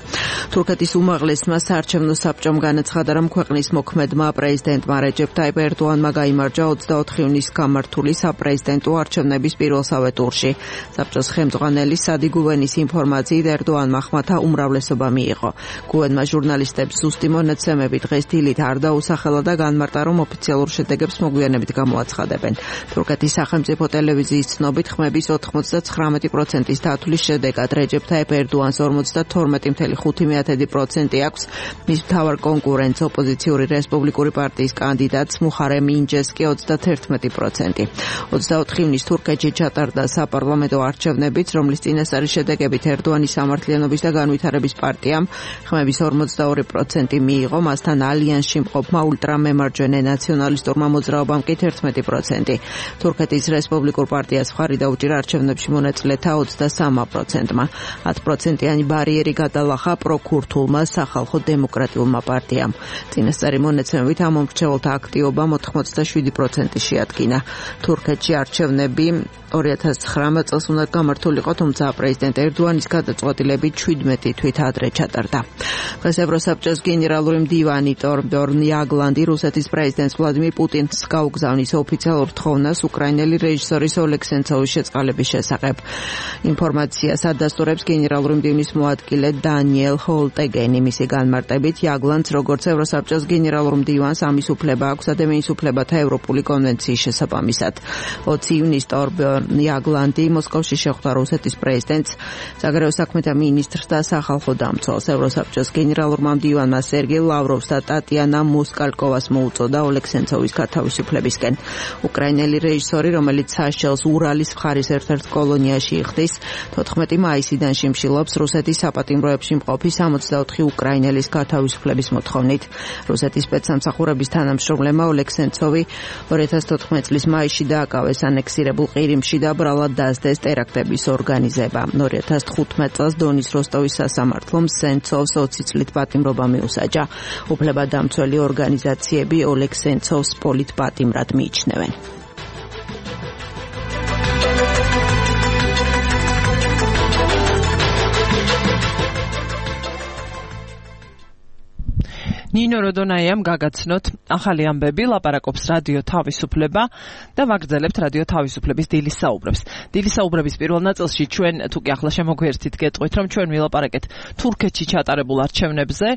თურქეთის უმაღლესმა საარჩევნო საბჭომ განაცხადა, რომ ქვეყნის მოქმედმა პრეზიდენტმა რეჯეფ ტაიპ ერდოანმა გაიმარჯვა 24 ივნისს გამართული საპრეზიდენტო არჩევნების პირველსავე ტურში. საბჭოს ხელმძღვანელი სადი გუვენის ინფორმაციით ერდოანმა ხმათა უმრავლესობა მიიღო. გუვენმა ჟურნალისტებს ზუსტი მონაცემები დღეს დილით არ დაუსახელა და განმარტა, რომ ოფიციალურ შედეგებს მოგვიანებით გამოაცხადებენ. თურქეთის სახელმწიფო ტელევიზიის ცნობით ხმების 99%-ის თვლის შედეგად რეჯეფ ტაიპ ერდოანს 52.5% აქვს. მის მთავარ კონკურენტს ოპოზიციური რესპუბლიკური პარტიის კანდიდატს მუხარემ ინჯეს კი 31%. 24 ივნისს თურქეთში ჩატარდა საპარლამენტო არჩევნებიც, რომლის წინასწარი შედეგებით ერდოანის სამართლიანობის და განვითარების პარტიამ ხმების 42% მიიღო, მასთან ალიანსში მყოფმა ულტრამემარჯვენე ნაციონალისტურმა მოძრაობამ კი 11%. თურქეთის რესპუბლიკურ პარტიას მხარი დაუჭირა არჩევნებში მონაწილეთა 23 3%-მა. 10%-იანი ბარიერი გადალახა პროქურთულმა სახალხო დემოკრატიულმა პარტიამ. წინასწარი მონაცემებით ამ მომრჩეველთა აქტივობა 87% შეადგინა. თურქეთში არჩევნები 2019 წელს უნდა გამართულიყო, თუმცა პრეზიდენტ ერდოანის გადაწყვეტილებით 17 თვით ადრე ჩატარდა. დღეს ევროსაბჭოს გენერალური მდივანი ტორბორნ იაგლანდი რუსეთის პრეზიდენტს ვლადიმირ პუტინს გაუგზავნის ოფიციალურ თხოვნას უკრაინელი რეჟისორის ოლეგ სენცოვის შეწყალების შესახებ. ინფორმაციას ადასტურებს გენერალური მდივნის მოადგილე დანიელ ჰოლტეგენი. მისი განმარტებით იაგლანდს როგორც ევროსაბჭოს გენერალურ მდივანს ამის უფლება აქვს ადამიანის უფლებათა ევროპული კონვენციის შესაბამისად. 20 ივნისს ტორბორნ იაგლანდი მოსკოვში შეხვდა რუსეთის პრეზიდენტს, საგარეო საქმეთა მინისტრს და სახალხო დამცველს. ევროსაბჭოს გენერალურმა მდივანმა სერგეი ლავროვს და ტატიანა მოსკალკოვას მოუწოდა ოლეგ სენცოვის გათავისუფლებისკენ. უკრაინელი რეჟისორი, რომელიც საშელს ურალის მხარის ერთ-ერთ კოლონიაში იხდის, 14 მაისიდან შიმშილობს რუსეთის საპატიმროებში მყოფი 64 უკრაინელის გათავისუფლების მოთხოვნით. რუსეთის სპეცსამსახურების თანამშრომლებმა ოლეგ სენცოვი 2014 წლის მაისში დააკავეს ანექსირებულ ყირიმში და ბრალად დასდეს ტერაქტების ორგანიზება. 2015 წელს დონის როსტოვის სასამართლომ სენცოვს 20 წლით პატიმრობა მიუსაჯა. უფლებადამცველი ორგანიზაციები ოლეგ სენცოვს პოლიტპატიმრად მიიჩნევენ. ნინო როდონაიამ გაგაცნოთ ახალი ამბები, ლაპარაკობს რადიო თავისუფლება და ვაგრძელებთ რადიო თავისუფლების დილის საუბრებს. დილის საუბრების პირველ ნაწილში ჩვენ თუკი ახლა შემოგვიერთით გეტყვით, რომ ჩვენ ვილაპარაკეთ თურქეთში ჩატარებულ არჩევნებზე,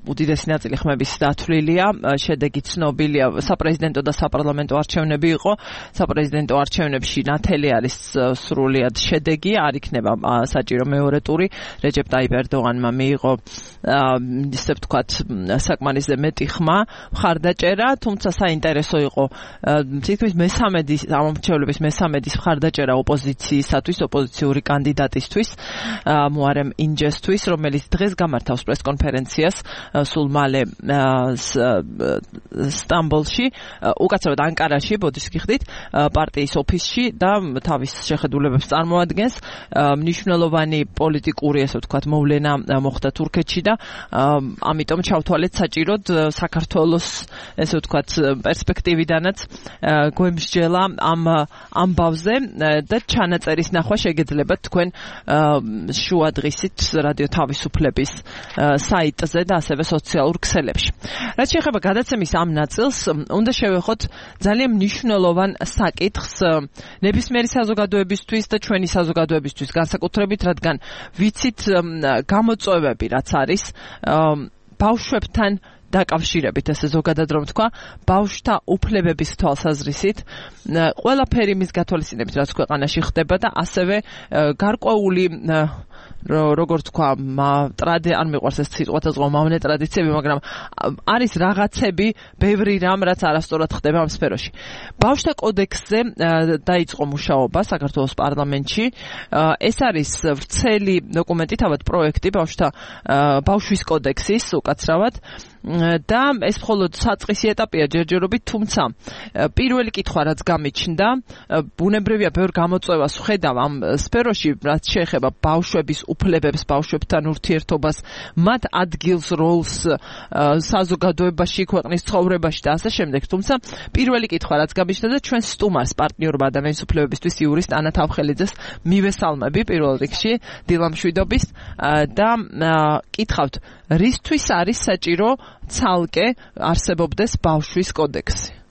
უდიდესი ნაწილი ხმების დათვლილია, შედეგი ცნობილია, საპრეზიდენტო და საპარლამენტო არჩევნები იყო. საპრეზიდენტო არჩევნებში ნათელი არის სრულიად შედეგი, არ იქნება საჭირო მეორე ტური. რეჯეპ ტაიპ ერდოღანმა მიიღო ისე ვთქვათ საკმარისზე მეტი ხმა, მხარდაჭერა, თუმცა საინტერესო იყო თითქმის მესამედის ამომრჩევლების მესამედის მხარდაჭერა ოპოზიციისათვის, ოპოზიციური კანდიდატისთვის, მუარემ ინჯესთვის, რომელიც დღეს გამართავს პრესკონფერენციას სულ მალე სტამბოლში, უკაცრავად ანკარაში, ბოდიშს გიხდით, პარტიის ოფისში და თავის შეხედულებებს წარმოადგენს. მნიშვნელოვანი პოლიტიკური, ესე ვთქვათ, მოვლენა მოხდა თურქეთში და ამიტომ ჩავთვალეთ საჭიროდ საქართველოს, ესე ვთქვათ, პერსპექტივიდანაც გვემსჯელა ამ ამბავზე და ჩანაწერის ნახვა შეგეძლებათ თქვენ შუადღისით რადიო თავისუფლების საიტზე და ასევე სოციალურ ქსელებში. რაც შეეხება გადაცემის ამ ნაწილს, უნდა შევეხოთ ძალიან მნიშვნელოვან საკითხს ნებისმიერი საზოგადოებისთვის და ჩვენი საზოგადოებისთვის განსაკუთრებით, რადგან ვიცით გამოწვევები რაც არის ბავშვებთან დაკავშირებით, ესე ზოგადად რომ თქვა, ბავშვთა უფლებების თვალსაზრისით, ყველაფერი მის გათვალისწინებით, რაც ქვეყანაში ხდება და ასევე გარკვეული როგორც თქვა, არ მიყვარს ეს სიტყვა თაზღვა მავნე ტრადიციები, მაგრამ არის რაღაცები, ბევრი რამ, რაც არასწორად ხდება ამ სფეროში. ბავშვთა კოდექსზე დაიწყო მუშაობა საქართველოს პარლამენტში. ეს არის ვრცელი დოკუმენტი, თავად პროექტი ბავშვის კოდექსის, უკაცრავად. და ეს მხოლოდ საწყისი ეტაპია ჯერჯერობით, თუმცა პირველი კითხვა რაც გამიჩნდა, ბუნებრივია ბევრ გამოწვევას ვხედავ ამ სფეროში, რაც შეეხება ბავშვების უფლებებს, ბავშვებთან ურთიერთობას, მათ ადგილს, როლს საზოგადოებაში, ქვეყნის ცხოვრებაში და ასე შემდეგ. თუმცა პირველი კითხვა რაც გამიჩნდა და ჩვენ სტუმარს, პარტნიორობა ადამიანის უფლებებისთვის იურისტ ანა თავხელიძეს მივესალმები პირველ რიგში დილამშვიდობის და კითხავთ, რისთვის არის საჭირო ცალკე არსებობდეს ბავშვის კოდექსი?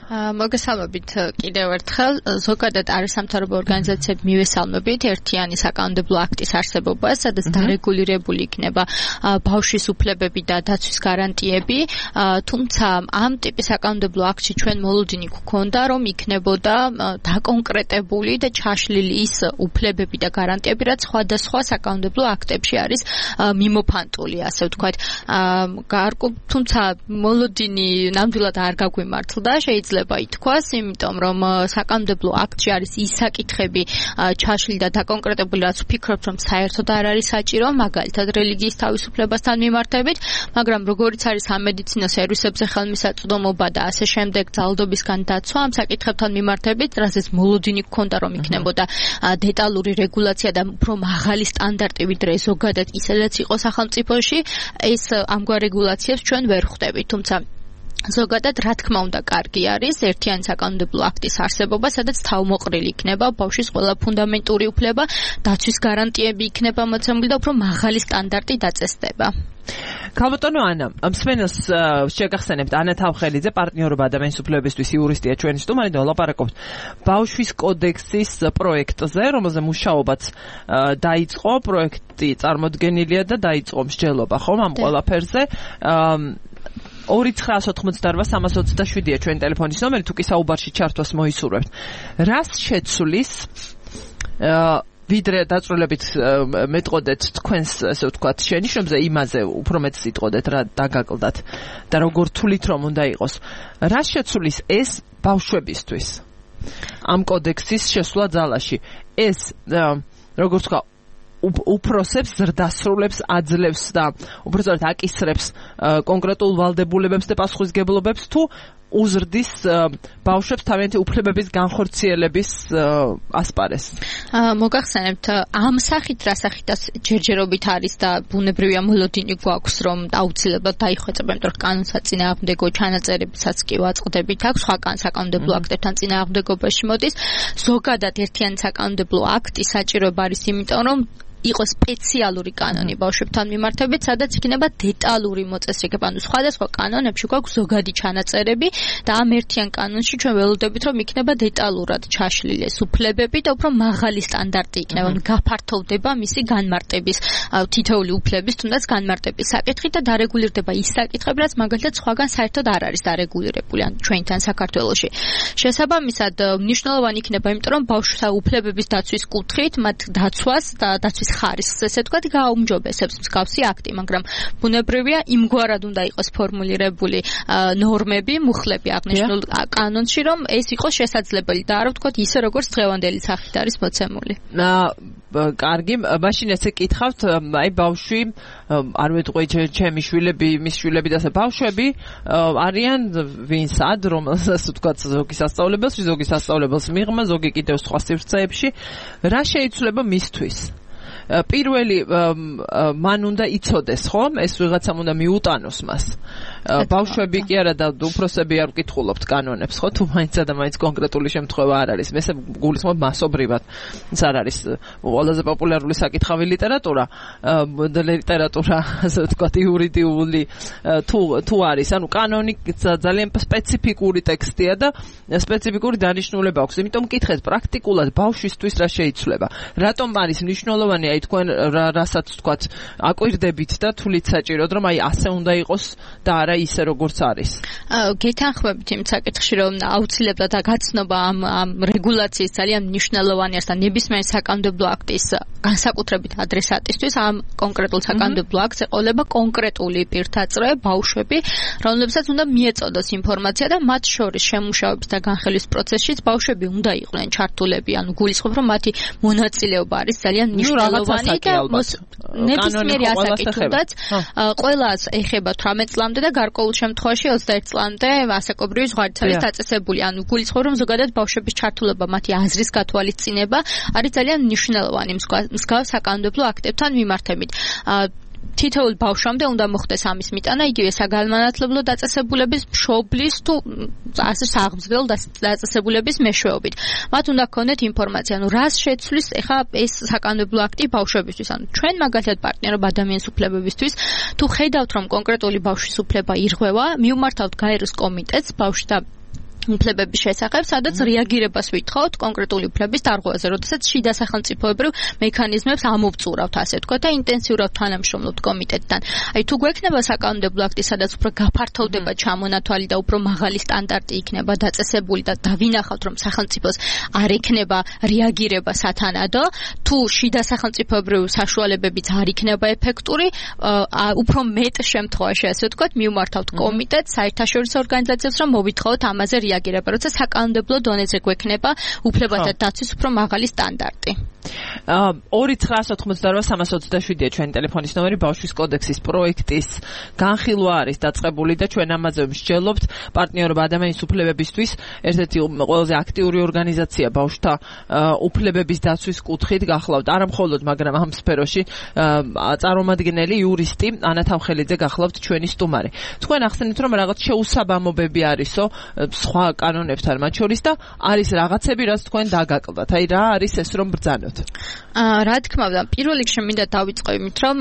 მოგესალმებით კიდევ ერთხელ. ზოგადად არის სამთავრობო ორგანიზაციები მივესალმებით ერთიანი საკანონმდებლო აქტის არსებობას, სადაც დარეგულირებული იქნება ბავშვის უფლებები და დაცვის გარანტიები, თუმცა ამ ტიპის საკანონმდებლო აქტში ჩვენ მოლოდინი გვქონდა, რომ იქნებოდა დაკონკრეტებული და ჩაშლილი ის უფლებები და გარანტიები, რაც სხვადასხვა საკანონმდებლო აქტებში არის მიმოფანტული, ასე ვთქვათ. თუმცა მოლოდინი ნამდვილად არ გაგვიმართლდა, შეიძლება შეიძლება ითქვას, იმიტომ რომ საკანონმდებლო აქტში არის ის საკითხები ჩაშლილი და დაკონკრეტებული, რაც ვფიქრობ, რომ საერთოდ არ არის საჭირო, მაგალითად რელიგიის თავისუფლებასთან მიმართებით, მაგრამ როგორიც არის სამედიცინო სერვისებზე ხელმისაწვდომობა და ასე შემდეგ ძალადობისგან დაცვა ამ საკითხებთან მიმართებით, რასაც მოლოდინი გქონდა, რომ იქნებოდა დეტალური რეგულაცია და უფრო მაღალი სტანდარტი, ვიდრე ზოგადად ისედაც იყო სახელმწიფოში, ეს ამგვარ რეგულაციებს ჩვენ ვერ ხვდებით, თუმცა ზოგადად რა თქმა უნდა კარგი არის ერთიანი საკანონმდებლო აქტის არსებობა, სადაც თავმოყრილი იქნება ბავშვის ყველა ფუნდამენტური უფლება, დაცვის გარანტიები იქნება მოცემული და უფრო მაღალი სტანდარტი დაწესდება. ქალბატონო ანა, მსმენელს შეგახსენებთ ანა თავხელიძე, პარტნიორობა ადამიანის უფლებებისთვის იურისტია ჩვენი სტუმარი და ვლაპარაკობთ ბავშვის კოდექსის პროექტზე, რომელზე მუშაობაც დაიწყო, პროექტი წარმოდგენილია და დაიწყო მსჯელობა, ხომ ამ ყველაფერზე. 2988-327-ია ჩვენი ტელეფონის ნომერი, თუ კი საუბარში ჩართვას მოისურვებთ. რას შეცვლის ვიდრე დაწვრილებით მეტყოდეთ თქვენს, ასე ვთქვათ, შენიშვნებზე იმაზე უფრო მეტ სიტყოდეთ რა დაგაკლდათ და როგორ თulit რომ უნდა იყოს. რას შეცვლის ეს ბავშვებისთვის? ამ კოდექსის შესვლა ძალაში. ეს როგორ ვთქვა უფროსებს ზრდასრულებს აძლევს და უბრალოდ აკისრებს კონკრეტულ ვალდებულებებს და პასუხისგებლობებს თუ უზრდის ბავშვებს თავიანთი უფლებების განხორციელების ასპარეს. მოგახსენებთ ამ სახით რა სახითაც ჯერჯერობით არის და ბუნებრივია მოლოდინი გვაქვს რომ აუცილებლად დაიხვეწება, იმიტომ რომ კანონსაწინააღმდეგო ჩანაწერებსაც კი ვაწყდებით აქვს, სხვა საკანონმდებლო აქტებთან წინააღმდეგობაში მოდის. ზოგადად ერთიანი საკანონმდებლო აქტი საჭიროება არის იმიტომ რომ იყოს სპეციალური კანონი ბავშვებთან მიმართებით, სადაც იქნება დეტალური მოწესრიგება, ანუ სხვადასხვა კანონებში გვაქვს ზოგადი ჩანაწერები და ამ ერთიან კანონში ჩვენ ველოდებით, რომ იქნება დეტალურად ჩაშლილი ეს უფლებები და უფრო მაღალი სტანდარტი იქნება, ანუ გაფართოვდება მისი განმარტების, თითოეული უფლების თუნდაც განმარტების საკითხი და დარეგულირდება ის საკითხები, რაც მაგალითად სხვაგან საერთოდ არ არის დარეგულირებული, ან ჩვენთან საქართველოში. შესაბამისად, მნიშვნელოვანი იქნება, იმიტომ რომ ბავშვთა უფლებების დაცვის კუთხით, მათ დაცვას და დაცვის ხარისხს, ესე ვთქვათ, გააუმჯობესებს მსგავსი აქტი, მაგრამ ბუნებრივია იმგვარად უნდა იყოს ფორმულირებული ნორმები, მუხლები აღნიშნულ კანონში, რომ ეს იყოს შესაძლებელი და არა ვთქვათ ისე როგორც დღევანდელი სახით არის მოცემული. კარგი, მაშინ ესე კითხავთ, აი ბავშვი, არ ვეთქვი ჩემი შვილები, მის შვილები და ასე ბავშვები არიან ვინსად, რომელსაც ვთქვათ ზოგი სასწავლებელს, ზოგი სასწავლებელს მიღმა, ზოგი კიდევ სხვა სივრცეებში, რა შეიცვლება მისთვის? პირველი მან უნდა იცოდეს, ხომ? ეს ვიღაცამ უნდა მიუტანოს მას. ბავშვები კი არა და უფროსები არ ვკითხულობთ კანონებს, ხო? თუ მაინც და მაინც კონკრეტული შემთხვევა არ არის. მე გულისხმობ მასობრივად. ეს არ არის ყველაზე პოპულარული საკითხავი ლიტერატურა, ასე ვთქვათ, იურიდიული თუ არის, ანუ კანონი ძალიან სპეციფიკური ტექსტია და სპეციფიკური დანიშნულება აქვს. იმიტომ მკითხეთ პრაქტიკულად ბავშვისთვის რა შეიცვლება. რატომ არის მნიშვნელოვანი აი თქვენ რასაც ვთქვათ აკვირდებით და თulit საჭიროდ რომ აი ასე უნდა იყოს და არა ისე როგორც არის. გეთანხმებით იმ საკითხში რომ აუცილებლად გაცნობა ამ რეგულაციის ძალიან მნიშვნელოვანი არის და ნებისმიერ საკანონმდებლო აქტის განსაკუთრებით ადრესატისთვის ამ კონკრეტულ საკანონმდებლო აქტს ეყოლება კონკრეტული პირთაწრე ბავშვები, რომლებსაც უნდა მიეწოდოს ინფორმაცია და მათ შორის შემუშავების და განხილვის პროცესშიც ბავშვები უნდა იყვნენ ჩართულები, ანუ გულისხმობ რომ მათი მონაწილეობა არის ძალიან მნიშვნელოვანი და ნებისმიერი ასაკითაც ყველას ეხება 18 წლამდე და გარკვეულ შემთხვევაში 21 წლამდე ასაკობრივი ზღვარიც არის დაწესებული. ანუ გულისხმობ რომ ზოგადად ბავშვების ჩართულობა, მათი აზრის გათვალისწინება არის ძალიან მნიშვნელოვანი მსგავს საკანონმდებლო აქტებთან მიმართებით. თითოეულ ბავშვამდე უნდა მოხდეს ამის მიტანა, იგივე საგანმანათლებლო დაწესებულების მშობლის თუ ასე საღმრთო დაწესებულების მეშვეობით. მათ უნდა გქონდეთ ინფორმაცია, ანუ რას შეცვლის ეხა ეს საკანონმდებლო აქტი ბავშვებისთვის. ანუ ჩვენ მაგალითად პარტნიორობა ადამიანის უფლებებისთვის, თუ ხედავთ რომ კონკრეტული ბავშვის უფლება ირღვევა, მივმართავთ გაეროს კომიტეტს ბავშვთა უფლებების შესახებ, სადაც რეაგირებას ვითხოვთ კონკრეტული უფლების დარღვევაზე, როდესაც შიდა სახელმწიფოებრივ მექანიზმებს ამოვწურავთ, ასე ვთქვათ, და ინტენსიურად თანამშრომლობთ კომიტეტთან. აი თუ გვექნება საკანონმდებლო აქტი, სადაც უფრო გაფართოვდება ჩამონათვალი და უფრო მაღალი სტანდარტი იქნება დაწესებული და დავინახავთ, რომ სახელმწიფოს არ ექნება რეაგირება სათანადო, თუ შიდა სახელმწიფოებრივ საშუალებებიც არ იქნება ეფექტური, უფრო მეტ შემთხვევაში, ასე ვთქვათ, მივმართავთ კომიტეტს, საერთაშორისო ორგანიზაციებს, რომ მოვითხოვოთ ამაზე რეაგირება, როცა საკანონმდებლო დონეზე გვექნება უფლებათა დაცვის უფრო მაღალი სტანდარტი. 2-988-327-ია ჩვენი ტელეფონის ნომერი. ბავშვის კოდექსის პროექტის განხილვა არის დაწყებული და ჩვენ ამაზე მსჯელობთ. პარტნიორობა ადამიანის უფლებებისთვის ერთ-ერთი ყველაზე აქტიური ორგანიზაცია ბავშვთა უფლებების დაცვის კუთხით გახლავთ. არა მხოლოდ, მაგრამ ამ სფეროში წარმომადგენელი იურისტი ანა თავხელიძე გახლავთ ჩვენი სტუმარი. თქვენ ახსენეთ, რომ რაღაც შეუსაბამობები არისო სხვა კანონებთან მათ შორის და არის რაღაცები, რაც თქვენ დაგაკლდათ. აი რა არის ეს, რომ ბრძანოთ? რა თქმა უნდა, პირველ რიგში მინდა დავიწყო იმით, რომ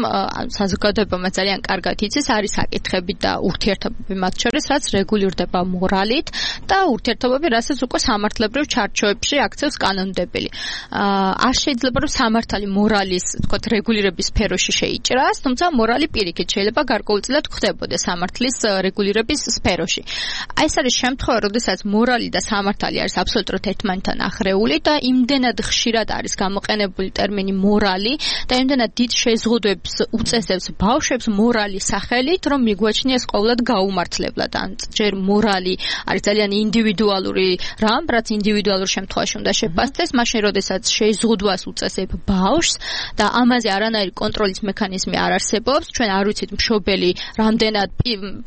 საზოგადოებამ ძალიან კარგად იცის, არის საკითხები და ურთიერთობები მათ შორის, რაც რეგულირდება მორალით და ურთიერთობები, რასაც უკვე სამართლებრივ ჩარჩოებში აქცევს კანონმდებელი. არ შეიძლება რომ სამართალი მორალის, თქო, რეგულირების სფეროში შეიჭრას, თუმცა მორალი პირიქით შეიძლება გარკვეულწილად ხდებოდეს სამართლის რეგულირების სფეროში. აი ეს არის შემთხვევა, როდესაც მორალი და სამართალი არის აბსოლუტურად ერთმანეთთან ახრეული და იმდენად ხშირად არის გამოყენებული ტერმინი მორალი და იმდენად დიდ შეზღუდვებს უწესებს ბავშვებს მორალის სახელით, რომ მიგვაჩნიეს ყოველად გაუმართლებლად. ან ჯერ მორალი არის ძალიან ინდივიდუალური რამ, რაც ინდივიდუალურ შემთხვევაში უნდა შეფასდეს, მაშინ როდესაც შეზღუდვას უწესებ ბავშვს და ამაზე არანაირი კონტროლის მექანიზმი არ არსებობს, ჩვენ არ ვიცით მშობელი რამდენად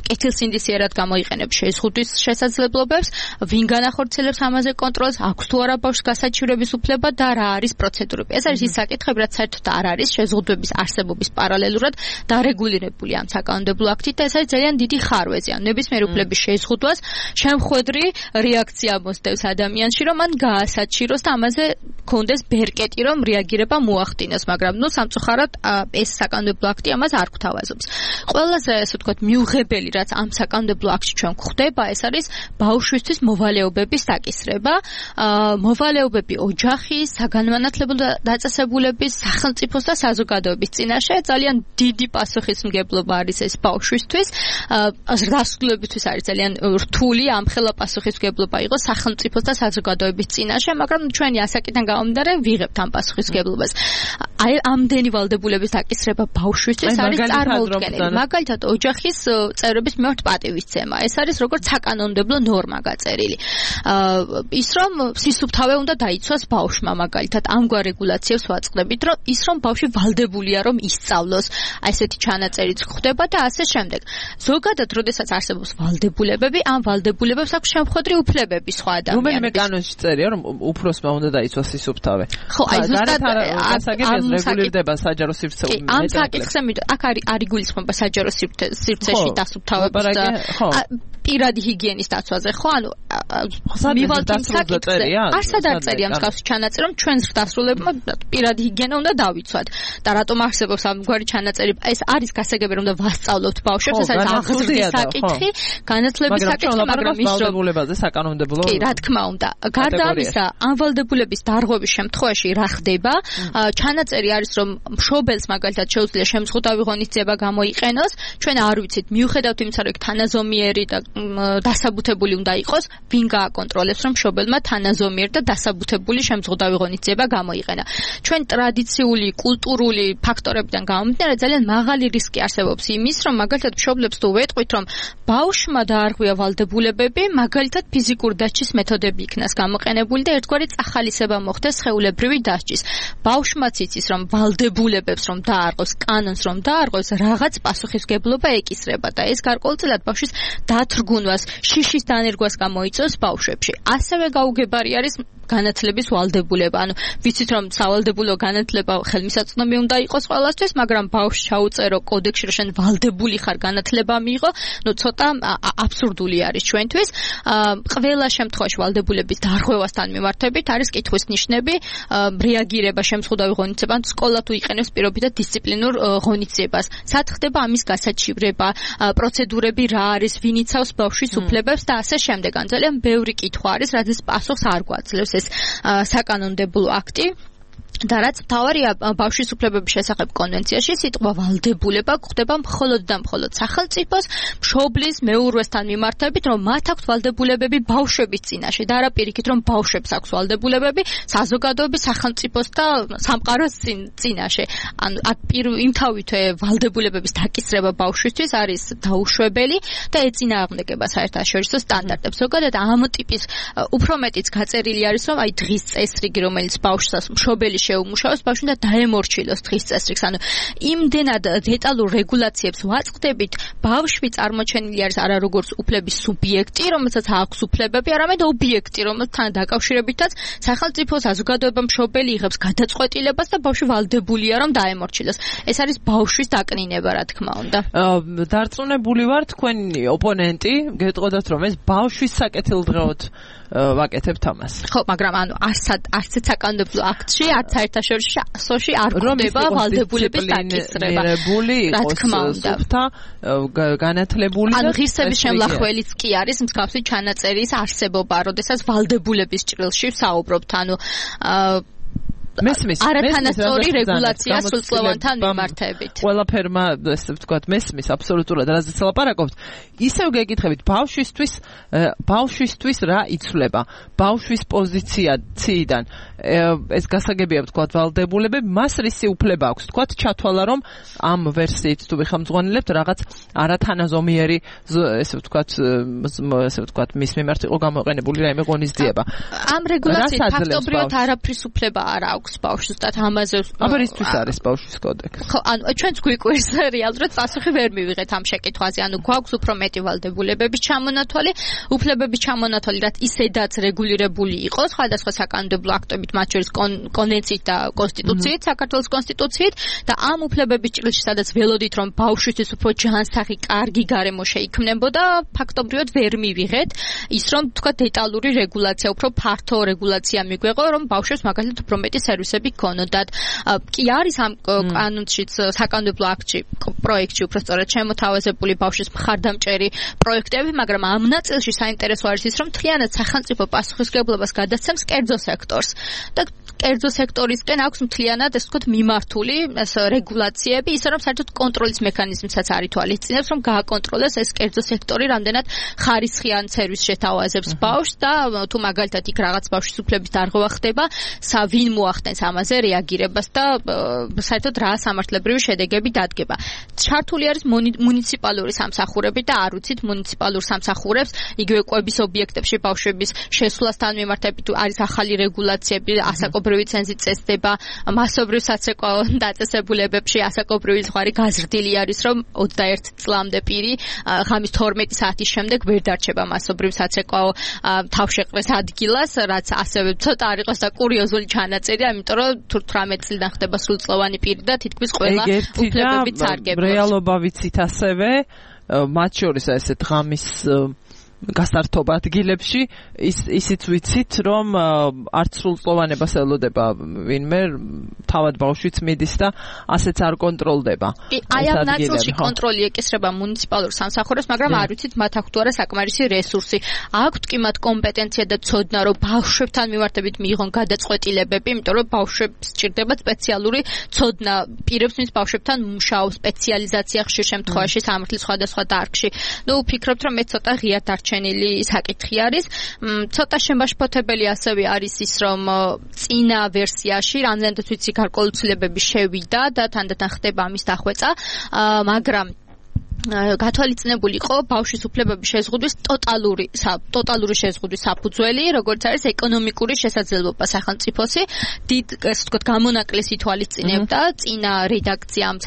კეთილსინდისიერად გამოიყენებს შეზღუდვის შესაძლებლობებს, ვინ განახორციელებს ამაზე კონტროლს, აქვს თუ არა ბავშვს გასაჩივრების უფლება და რა არის პროცედურები. ეს არის ის საკითხები, რაც საერთოდ არ არის შეზღუდვების არსებობის პარალელურად დარეგულირებული ამ საკანონმდებლო აქტით და ეს არის ძალიან დიდი ხარვეზი. ან ნებისმიერ უფლების შეზღუდვას შემხვედრი რეაქცია მოსდევს ადამიანში, რომ მან გაასაჩიროს და ამაზე კონდეს ბერკეტი, რომ რეაგირება მოახდინოს, მაგრამ სამწუხაროდ ეს საკანონმდებლო აქტი ამას არ გვთავაზობს. ყველაზე ასე ვთქვათ მიუღებელი, რაც ამ საკანონმდებლო აქტში ჩვენ გვხვდება, ეს არის ბავშვისთვის მოვალეობების დაკისრება, მოვალეობები ოჯახის, საგანმანათლებლო დაწესებულების, სახელმწიფოს და საზოგადოების წინაშე. ძალიან დიდი პასუხისმგებლობა არის ეს ბავშვისთვის. დასრულებისთვის არის ძალიან რთული ამხელა პასუხისმგებლობა იყოს სახელმწიფოს და საზოგადოების წინაშე, მაგრამ ჩვენი ასაკიდან გამომდინარე ვიღებთ ამ პასუხისმგებლობას. აი ამდენი ვალდებულების დაკისრება ბავშვისთვის არის წარმოუდგენელი. მაგალითად, ოჯახის წევრების მიმართ პატივისცემა. ეს არის როგორც საკანონმდებლო ნორმა გაწერილი. ის რომ სისუფთავე უნდა დაიცვას ბავშვმა, მაგალითად, ამგვარ რეგულაციებს ვაწყდებით, რომ ის რომ ბავშვი ვალდებულია რომ ისწავლოს, აი ესეთი ჩანაწერიც გვხვდება და ასე შემდეგ. ზოგადად, როდესაც არსებობს ვალდებულებები, ამ ვალდებულებებს აქვს შემხვედრი უფლებები სხვა ადამიანების. რომელიმე კანონში წერია, რომ უფროსმა უნდა დაიცვას სისუფთავე. ხო, აი ზუსტად რეგულირდება საჯარო სივრცე. ამ საკითხზე აქ არ იგულისხმება საჯარო სივრცეში დასუფთავების პირადი ჰიგიენის დაცვაზე, ხო? ანუ მივალთ იმ საკითხზე. არსად არ წერია მსგავსი ჩანაწერი, რომ ჩვენს დასრულებმა პირადი ჰიგიენა უნდა დავიცვათ. და რატომ არსებობს ამგვარი ჩანაწერი? ეს არის გასაგები, რომ ვასწავლოთ ბავშვებს, ეს არის აღზრდის საკითხი, განათლების საკითხი, მაგრამ ის ვალდებულებაზე საკანონმდებლო. კი, რა თქმა უნდა. გარდა ამისა, ამ ვალდებულების დარღვევის შემთხვევაში რა ხდება? ჩანაწერი არის, რომ მშობელს მაგალითად შეუძლია შემზღუდავი ღონისძიება გამოიყენოს. ჩვენ არ ვიცით, მიუხედავთ იმისა, რომ თანაზომიერი და დასაბუთებული უნდა იყოს, ვინ გააკონტროლებს, რომ მშობელმა თანაზომიერი და დასაბუთებული შემზღუდავი ღონისძიება გამოიყენა. ჩვენ ტრადიციული, კულტურული ფაქტორებიდან გამომდინარე ძალიან მაღალი რისკი არსებობს იმის, რომ მაგალითად მშობლებს თუ ვეტყვით, რომ ბავშვმა დაარღვია ვალდებულებები, მაგალითად ფიზიკური დასჯის მეთოდები იქნას გამოყენებული და ერთგვარი წახალისება მოხდეს სხეულებრივი დასჯის. ბავშვმაც იცის, რომ ვალდებულებებს რომ დაარღვევს, კანონს რომ დაარღვევს, რაღაც პასუხისმგებლობა ეკისრება და ეს გარკვეულწილად ბავშვის დათრგუნვას, შიშის დანერგვას გამოიწვევს ბავშვებში. ასევე გაუგებარი არის განათლების ვალდებულება. ანუ ვიცით რომ სავალდებულო განათლება ხელმისაწვდომი უნდა იყოს ყველასთვის, მაგრამ ბავშვს ჩაუწერო კოდექსში რომ შენ ვალდებული ხარ განათლება მიიღო, ну ცოტა აბსურდული არის ჩვენთვის. ყველა შემთხვევაში ვალდებულების დარღვევასთან მიმართებით არის კითხვის ნიშნები, რეაგირება შემზღუდავი ღონისძიებამ, სკოლა თუ იყენებს პირობითად დისციპლინურ ღონისძიებას. სად ხდება ამის გასაჩივრება, პროცედურები რა არის, ვინ იცავს ბავშვის უფლებებს და ასე შემდეგ. ან ძალიან ბევრი კითხვა არის, რადგან პასუხს არ გვაძლევს ეს საკანონმდებლო აქტი. და რაც თავარია ბავშვის უფლებების შესახებ კონვენციაში სიტყვა ვალდებულება გვხდება მხოლოდ და მხოლოდ სახელმწიფოს მშობლის მეურვესთან მიმართებით, რომ მათ აქვს ვალდებულებები ბავშვების წინაშე და არა პირიქით, რომ ბავშვებს აქვს ვალდებულებები საზოგადოების, სახელმწიფოს და სამყაროს წინაშე. ანუ იმთავითვე ვალდებულებების დაკისრება ბავშვისთვის არის დაუშვებელი და ეწინააღმდეგება საერთაშორისო სტანდარტებს. ზოგადად ამ ტიპის უფრო მეტიც გაწერილი არის, რომ აი დღის წესრიგი, რომელიც ბავშვს მშობელი შეუმუშავოს, ბავშვი და დაემორჩილოს დღის წესრიგს. ანუ იმდენად დეტალურ რეგულაციებს ვაწყდებით, ბავშვი წარმოჩენილი არის არა როგორც უფლების სუბიექტი, რომელსაც აქვს უფლებები, არამედ ობიექტი, რომელთან დაკავშირებითაც სახელმწიფო საზოგადოება მშობელი იღებს გადაწყვეტილებას და ბავშვი ვალდებულია რომ დაემორჩილოს. ეს არის ბავშვის დაკნინება, რა თქმა უნდა. დარწმუნებული ვარ, თქვენი ოპონენტი გეტყოდათ, რომ ეს ბავშვის საკეთილდღეოდ ვაკეთებთ ამას. ხო, მაგრამ ანუ არც საკანონმდებლო აქტში, არც საერთაშორისოში არ გვხვდება ვალდებულების დაკისრება. რა თქმა უნდა, განათლებული ანუ ღირსების შემლახველიც კი არის მსგავსი ჩანაწერის არსებობა, როდესაც ვალდებულების ჭრილში ვსაუბრობთ, ანუ მესმის არათანასწორი რეგულაცია სრულწლოვანთან მიმართებით. ყველაფერმა ესე ვთქვათ მესმის აბსოლუტურად რაზეც ლაპარაკობთ. ისევ გეკითხებით ბავშვისთვის რა იცვლება? ბავშვის პოზიციიდან ეს გასაგებია ვთქვათ ვალდებულებები, მას რისი უფლება აქვს? ვთქვათ ჩათვალა რომ ამ ვერსიით თუ ვიხამძღვანელებთ რაღაც არათანაზომიერი ესე ვთქვათ მის მიმართ იყო გამოყენებული რაიმე ღონისძიება. ამ რეგულაციით ფაქტობრივად არაფრის უფლება არ აქვს. ბავშვს და ამაზე აბა რისთვის არის ბავშვის კოდექსი? ხო, ანუ ჩვენც გვიკვირს რეალურად პასუხი ვერ მივიღეთ ამ შეკითხვაზე. ანუ გვაქვს უფრო მეტი ვალდებულებების ჩამონათვალი, უფლებების ჩამონათვალი, რაც ისედაც რეგულირებული იყო სხვადასხვა საკანონმდებლო აქტებით, მათ შორის კონვენციით და კონსტიტუციით, საქართველოს კონსტიტუციით და ამ უფლებების ჭრილში, სადაც ველოდით, რომ ბავშვისთვის უფრო ჯანსაღი, კარგი გარემო შეიქმნებოდა, ფაქტობრივად ვერ მივიღეთ ის, რომ თქვა დეტალური რეგულაცია, უფრო ფართო რეგულაცია მიგვეღო, რომ ბავშვებს მაგალითად უფრო მეტი სერვისები გქონოდათ. კი არის ამ კანონშიც საკანონმდებლო აქტში, პროექტში უფრო სწორად შემოთავაზებული ბავშვის მხარდამჭერი პროექტები, მაგრამ ამ ნაწილში საინტერესო არის ის, რომ მთლიანად სახელმწიფო პასუხისმგებლობას გადასცემს კერძო სექტორს და კერძო სექტორისკენ აქვს მთლიანად ეს ვთქვათ მიმართული ეს რეგულაციები, ისე რომ საერთოდ კონტროლის მექანიზმსაც არ ითვალისწინებს, რომ გააკონტროლოს ეს კერძო სექტორი რამდენად ხარისხიან სერვისს შეთავაზებს ბავშვს და თუ მაგალითად იქ რაღაც ბავშვის უფლების დარღვევა ხდება, ვინ მოახდენს ამაზე რეაგირებას და საერთოდ რა სამართლებრივი შედეგები დადგება. ჩართული არის მუნიციპალური სამსახურები და არ ვიცით მუნიციპალურ სამსახურებს იგივე კვების ობიექტებში ბავშვების შესვლასთან მიმართებით არის ახალი რეგულაციები, ასაკობრივი ცენზით წესდება, მასობრივ საცეკვაო დაწესებულებებში ასაკობრივი ზღვარი გაზრდილი არის, რომ 21 წლამდე პირი ღამის 12 საათის შემდეგ ვერ დარჩება მასობრივ საცეკვაო თავშეყრის ადგილას, რაც ასევე ცოტა არ იყოს და კურიოზული ჩანაწერი, იმიტომ რომ თუ 18 წლიდან ხდება სრულწლოვანი პირი და თითქმის ყველა უფლებებით სარგებლობს. რეალობა ვიცით ასევე, მათ შორის ესე დღამის გასართობ ადგილებში ისიც ვიცით, რომ არც სრულწლოვანებას ელოდება ვინმე, თავად ბავშვიც მიდის და ასეც არ კონტროლდება. აი ამ ნაწილში კონტროლი ეკისრება მუნიციპალურ სამსახურებს, მაგრამ არ ვიცით მათ აქვს თუ არა საკმარისი რესურსი. აქვთ კი მათ კომპეტენცია და ცოდნა, რომ ბავშვებთან მიმართებით მიიღონ გადაწყვეტილებები, იმიტომ რომ ბავშვებს სჭირდება სპეციალური ცოდნა, პირებს ვინც ბავშვებთან მუშაობს, სპეციალიზაცია ხშირ შემთხვევაში სამართლის სხვადასხვა დარგში. ნუ ვფიქრობთ, რომ მე ცოტა ღიად ჩენილი საკითხი არის. ცოტა შემაშფოთებელი ასევე არის ის, რომ წინა ვერსიაში რამდენადაც ვიცი გარკვეული ცვლილებები შევიდა და თანდათან ხდება ამის დახვეწა, მაგრამ გათვალისწინებული იყო ბავშვის უფლებების შეზღუდვის ტოტალური შეზღუდვის საფუძველი, როგორც არის ეკონომიკური შესაძლებლობა სახელმწიფოსი, დიდ ესე ვთქვათ გამონაკლისი ითვალისწინებდა წინა რედაქცია ამ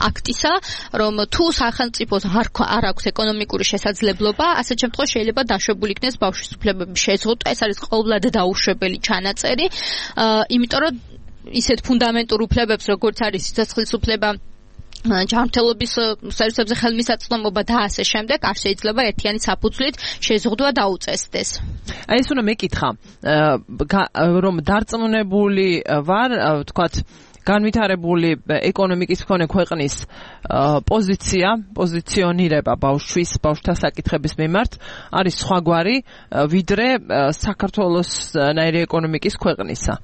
აქტისა, რომ თუ სახელმწიფოს არ აქვს ეკონომიკური შესაძლებლობა, ასეთ შემთხვევაში შეიძლება დაშვებული იქნეს ბავშვის უფლებების შეზღუდვა, ეს არის ყოვლად დაუშვებელი ჩანაწერი, იმიტომ რომ ისეთ ფუნდამენტურ უფლებებს, როგორც არის სიცოცხლის უფლება, ჯანმრთელობის სერვისებზე ხელმისაწვდომობა და ასე შემდეგ არ შეიძლება ერთიანი საფუძვლით შეზღუდვა დაუწესდეს. აი ეს უნდა მეკითხა, რომ დარწმუნებული ვარ, ვთქვათ, განვითარებული ეკონომიკის მქონე ქვეყნის პოზიციონირება ბავშვთა საკითხების მიმართ არის სხვაგვარი ვიდრე საქართველოსნაირი ეკონომიკის ქვეყნისა.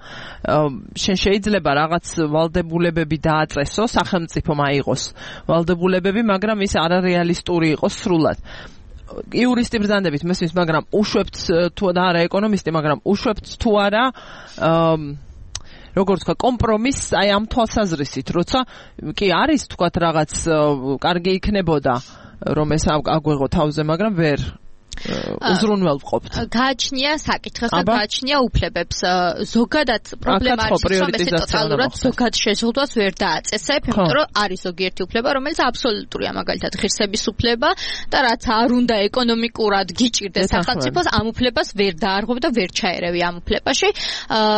შენ შეიძლება რაღაც ვალდებულებები დააწესო, სახელმწიფომ აიღოს ვალდებულებები, მაგრამ ის არარეალისტური იყოს სრულად. იურისტი ბრძანდებით მესმის, მაგრამ უშვებთ თუ არა ეკონომისტი, მაგრამ უშვებთ თუ არა როგორც თქვა კომპრომისს აი ამ თვალსაზრისით, როცა კი არის თქვა რაღაც კარგი იქნებოდა რომ ეს აგვეღო თავზე, მაგრამ ვერ უზრუნველყოფთ. გააჩნია საკითხს და გააჩნია უფლებებს. ზოგადად პრობლემა არის, რომ ეს ტოტალურად ზოგად შეზღუდვას ვერ დააწესებ, იმიტომ რომ არის ზოგიერთი უფლება, რომელიც აბსოლუტურია, მაგალითად ღირსების უფლება და რაც არ უნდა ეკონომიკურად გიჭირდეს სახელმწიფოს, ამ უფლებას ვერ დაარღვევ და ვერ ჩაერევი ამ უფლებაში.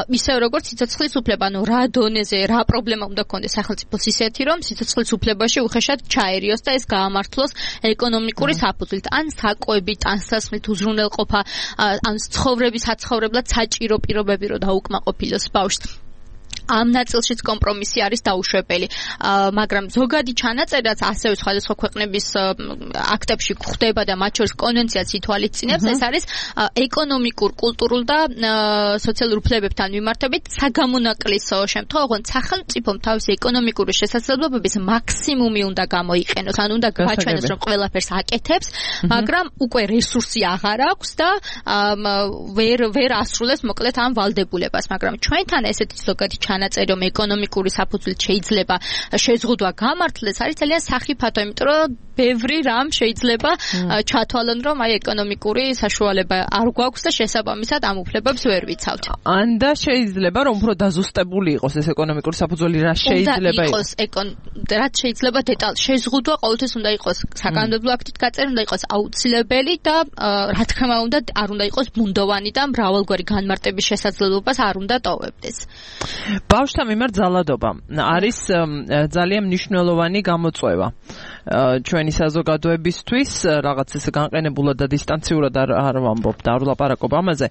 ისევ როგორც სიცოცხლის უფლება, ანუ რა დონეზე, რა პრობლემა უნდა გქონდეს სახელმწიფოს ისეთი, რომ სიცოცხლის უფლებაში უხეშად ჩაერიოს და ეს გაამართლოს ეკონომიკური საფუძვლით, ან საკვებით, ან სასმით უზრუნველყოფა, ან ცხოვრების საცხოვრებლად საჭირო პირობები რო დაუკმაყოფილოს ბავშვს. ამ ნაწილშიც კომპრომისი არის დაუშვებელი, მაგრამ ზოგადი ჩანაწერაც ასევე სხვადასხვა ქვეყნების აქტებში გვხდება და მათ შორის კონვენციაც ითვალისწინებს, ეს არის ეკონომიკურ, კულტურულ და სოციალურ უფლებებთან მიმართებით საგამონაკლისო შემთხვევა, ოღონდ სახელმწიფომ თავისი ეკონომიკური შესაძლებლობების მაქსიმუმი უნდა გამოიყენოს, ან უნდა გაჩვენოს, რომ ყველაფერს აკეთებს, მაგრამ უკვე რესურსი აღარ აქვს და ვერ ასრულებს მოკლედ ამ ვალდებულებას, მაგრამ ჩვენთან ესეთი ზოგადი ჩანაწერი, რომ ეკონომიკური საფუძვლით შეიძლება შეზღუდვა გამართლდეს, არის ძალიან სახიფათო, იმიტომ რომ ბევრი რამ შეიძლება ჩათვალონ, რომ აი ეკონომიკური საშუალება არ გვაქვს და შესაბამისად ამ უფლებებს ვერ ვიცავთ. ან და შეიძლება რომ უფრო დაზუსტებული იყოს ეს ეკონომიკური საფუძველი, რა შეიძლება იყოს რაც შეიძლება დეტალ შეზღუდვა ყოველთვის უნდა იყოს საკანონმდებლო აქტით გაწერილი, უნდა იყოს აუცილებელი და რა თქმა უნდა არ უნდა იყოს ბუნდოვანი და მრავალგვარი განმარტების შესაძლებლობას არ უნდა ტოვებდეს. ბავშვთა მიმართ ძალადობა არის ძალიან მნიშვნელოვანი გამოწვევა ჩვენი საზოგადოებისთვის, რაღაც ესე განყენებულად და დისტანციურად არ ვამბობ და არ ვლაპარაკობ ამაზე.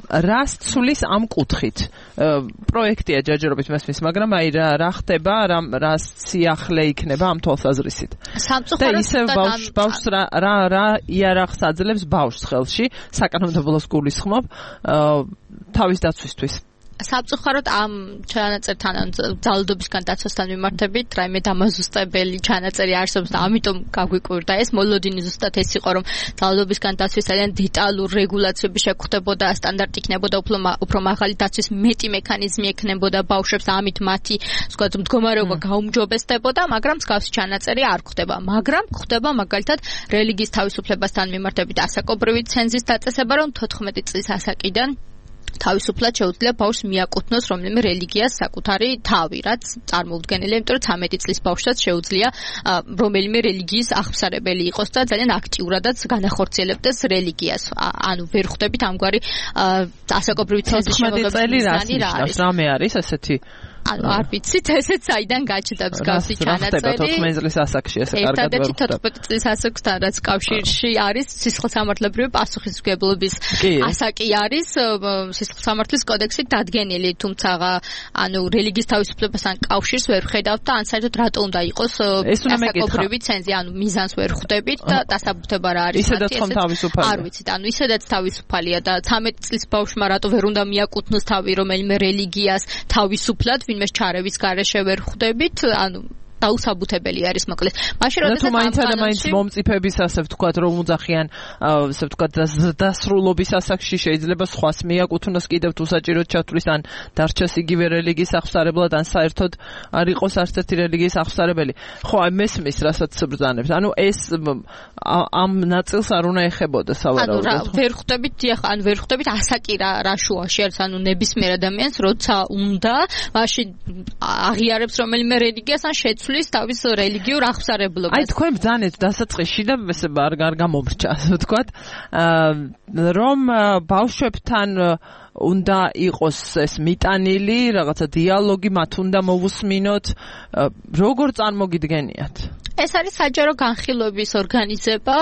რას ცulis ამ კუთხით? პროექტია ჯერჯერობით მესმის, მაგრამ აი რა ხდება, რა სიახლე იქნება ამ თვალსაზრისით. და ისევ ბავშვს რა იარაღს აძლევს ბავშვს ხელში, საკანონმდებლოს გულისხმობ თავის დაცვისთვის. სამწუხაროდ ამ ჩანაწერთან ან ძალადობისგან დაცვასთან მიმართებით რაიმე დამაზუსტებელი ჩანაწერი არსებობს და ამიტომ გაგვიკვირდა ეს. მოლოდინი ზუსტად ეს იყო, რომ ძალადობისგან დაცვის ძალიან დეტალურ რეგულაციები შეგვხდებოდა, სტანდარტი იქნებოდა, უფრო მაღალი დაცვის მეტი მექანიზმი ექნებოდა ბავშვებს, ამით მათი ვთქვათ მდგომარეობა გაუმჯობესდებოდა, მაგრამ მსგავსი ჩანაწერი არ გვხდება. მაგრამ გვხდება მაგალითად რელიგიის თავისუფლებასთან მიმართებით ასაკობრივი ცენზის დაწესება, რომ 14 წლის ასაკიდან თავისუფლად შეუძლია ბავშვს მიაკუთვნოს რომელიმე რელიგიას საკუთარი თავი, რაც წარმოუდგენელია, იმიტომ რომ 13 წლის ბავშვსაც შეუძლია რომელიმე რელიგიის აღსარებელი იყოს და ძალიან აქტიურადაც განახორციელებდეს რელიგიას. ანუ ვერ ხვდებით ამგვარი ასაკობრივი ცენზის შემოღებების რა არის? რამე არის ესეთი? ანუ არ ვიცით, ესეც საიდან გაჩნდა მსგავსი ჩანაწერი. 14 წლის ასაკში ესე კარგად ვერ ხვდები. 14 წლის ასაკთან რაც კავშირში არის სისხლსამართლებრივი პასუხისმგებლობის ასაკი არის სისხლსამართლის კოდექსით დადგენილი, თუმცა ანუ რელიგიის თავისუფლებასთან კავშირს ვერ ხედავთ და ან საერთოდ რატო უნდა იყოს ასაკობრივი ცენზი, ანუ მიზანს ვერ ხვდებით და დასაბუთება რა არის. ისედაც ხომ თავისუფალია? არ ვიცით, ანუ ისედაც თავისუფალია და 13 წლის ბავშვმა რატო ვერ უნდა მიაკუთვნოს თავი რომელიმე რელიგიას თავისუფლად, ვინმეს ჩარევის გარეშე ვერ ხვდებით, ანუ დაუსაბუთებელი არის მოკლედ. მაშინ როდესაც მაინც მომწიფების ასე ვთქვათ, რომ უძახიან, ასე ვთქვათ, დასრულობის ასაკში შეიძლება სხვას მიაკუთვნოს კიდევ თუ საჭიროდ ჩათვლის, ან დარჩეს იგივე რელიგიის აღსარებლად, ან საერთოდ არ იყოს არც ერთი რელიგიის აღსარებელი. ხო, აი მესმის, რასაც ბრძანებს. ანუ ეს ამ ნაწილს არ უნდა ეხებოდა სავარაუდოდ. ანუ ვერ ხვდებით, ან ვერ ხვდებით ასაკი რა შუაში არის, ანუ ნებისმიერ ადამიანს როცა უნდა, მაშინ აღიარებს რომელიმე რელიგიას ან შეცვლის თავის რელიგიურ აღსარებლობას. აი თქვენ ბრძანეთ დასაწყისში და ესე არ გამომრჩა, ასე ვთქვათ, რომ ბავშვებთან უნდა იყოს ეს მიტანილი რაღაცა დიალოგი, მათ უნდა მოვუსმინოთ, როგორ წარმოგიდგენიათ? ეს არის საჯარო განხილვების ორგანიზება.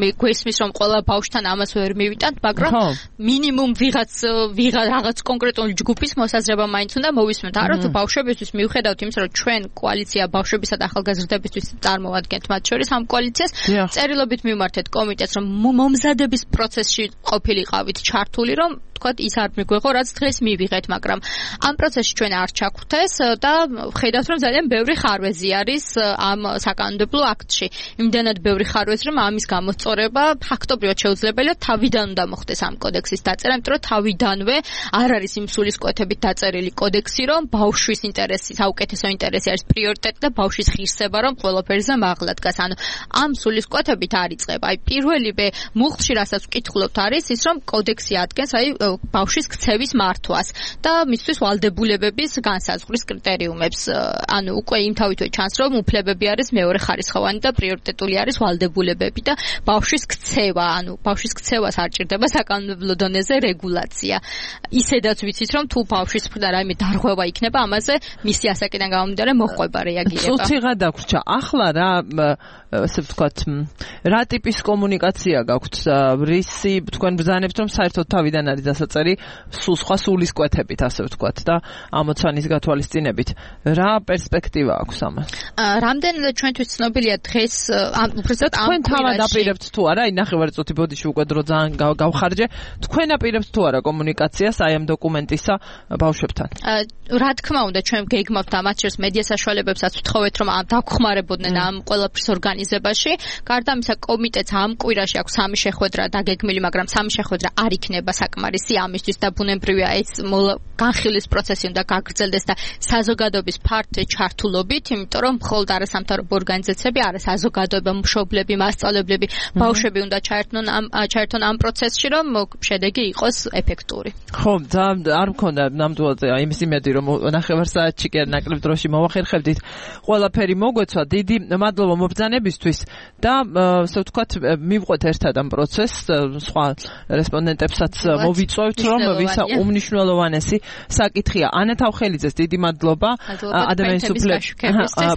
მე გვესმის რომ ყველა ბავშვთან ამას ვერ მივიტანთ, მაგრამ მინიმუმ რაღაც კონკრეტული ჯგუფის მოსაზრება მაინც უნდა მოვისმენთ. არა თუ ბავშვებისთვის მიუხედავთ იმისა, რომ ჩვენ კოალიცია ბავშვებისა და ახალგაზრდებისთვის წარმოვადგენთ მათ შორის ამ კოალიციას, წერილობით მივმართეთ კომიტეტს, რომ მომზადების პროცესში ყოფილიყავით ჩართული, რომ თქვათ ის არ მიგვეღო, რაც დღეს მივიღეთ, მაგრამ ამ პროცესში ჩვენ არ ჩაგვხდეს და ხედავთ, რომ ძალიან ბევრი ხარვეზი არის ამ საკანონმდებლო აქტში. იმდანად ბევრი ხარვეზი, რომ ამის გამოსწორება ფაქტობრივად შეუძლებელია თავიდან უნდა მოხდეს ამ კოდექსის დაწერა, იმიტომ რომ თავიდანვე არ არის იმ სულისკვეთებით დაწერილი კოდექსი, რომ ბავშვის ინტერესი, საუკეთესო ინტერესი არის პრიორიტეტი და ბავშვის ღირსება, რომ ყველაფერზე მაღლა დგას. ანუ ამ სულისკვეთებით არ იწყება. აი პირველივე მუხლში, რასაც ვკითხულობთ, არის ის, რომ კოდექსი ადგენს ბავშვის ქცევის მართვას და მისთვის ვალდებულებების განსაზღვრის კრიტერიუმებს. ანუ უკვე იმთავითვე ჩანს, რომ უფლებები არის მეორე ხარისხოვანი და პრიორიტეტული არის ვალდებულებები და ბავშვის ქცევა, ანუ ბავშვის ქცევას არ ჭირდება საკანონმდებლო დონეზე რეგულაცია. ისედაც ვიცით, რომ თუ ბავშვის მხრიდან რაიმე დარღვევა იქნება, ამაზე მისი ასაკიდან გამომდინარე მოჰყვება რეაგირება. სულ ციხა დაგვრჩა. ახლა რა ასე ვთქვათ, რა ტიპის კომუნიკაცია გაქვთ? რისი თქვენ ბრძანებთ, რომ საერთოდ თავიდან არის დასაწერი სულ სხვა სულისკვეთებით, ასე ვთქვათ და ამოცანის გათვალისწინებით. რა პერსპექტივა აქვს ამას? რამდენადაც ჩვენთვის ცნობილია დღეს უბრალოდ თქვენ თავად აპირებთ თუ არა, აი ნახევარწუთი ბოდიში უკვე დრო ძალიან გავხარჯე, თქვენ აპირებთ თუ არა კომუნიკაციას აი ამ დოკუმენტისა ბავშვებთან? რა თქმა უნდა, ჩვენ გეგმავთ და მათ შორის მედია საშუალებებსაც ვთხოვეთ, რომ დაგხმარებოდნენ ამ ყველაფრის ორგანიზებაში. გარდა ამისა, კომიტეტს ამ კვირაში აქვს 3 შეხვედრა დაგეგმილი, მაგრამ 3 შეხვედრა არ იქნება საკმარისი ამისთვის და ბუნებრივია ეს განხილვის პროცესი უნდა გაგრძელდეს და საზოგადოების ფართო ჩართულობით, იმიტომ რომ მხოლოდ არასამთავრობო ორგანიზაციები, არასაზოგადოება, მშობლები, მასწავლებლები, ბავშვები უნდა ჩაერთონ ამ პროცესში, რომ შედეგი იყოს ეფექტური. ხო, არ მქონდა ნამდვილად იმის იმედი, რომ ნახევარ საათში კი ნაკლებ დროში მოვახერხებდით. ყველაფერი მოგვეცვა. დიდი მადლობა მობრძანებისთვის და ასე ვთქვათ, მივყვეთ ერთად ამ პროცესს, სხვა რესპონდენტებსაც მოვიწვევთ, რომ ვისა უმნიშვნელოვანესი საკითხია. ანა თავხელიძეს დიდი მადლობა. ადამიანის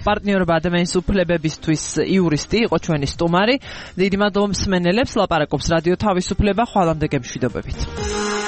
პარტნიორობა ადამიანის უფლებებისთვის იურისტი იყო ჩვენი სტუმარი. დიდი მადლობა მსმენელებს, ლაპარაკობს რადიო თავისუფლება. ხვალამდე გემშვიდობებით.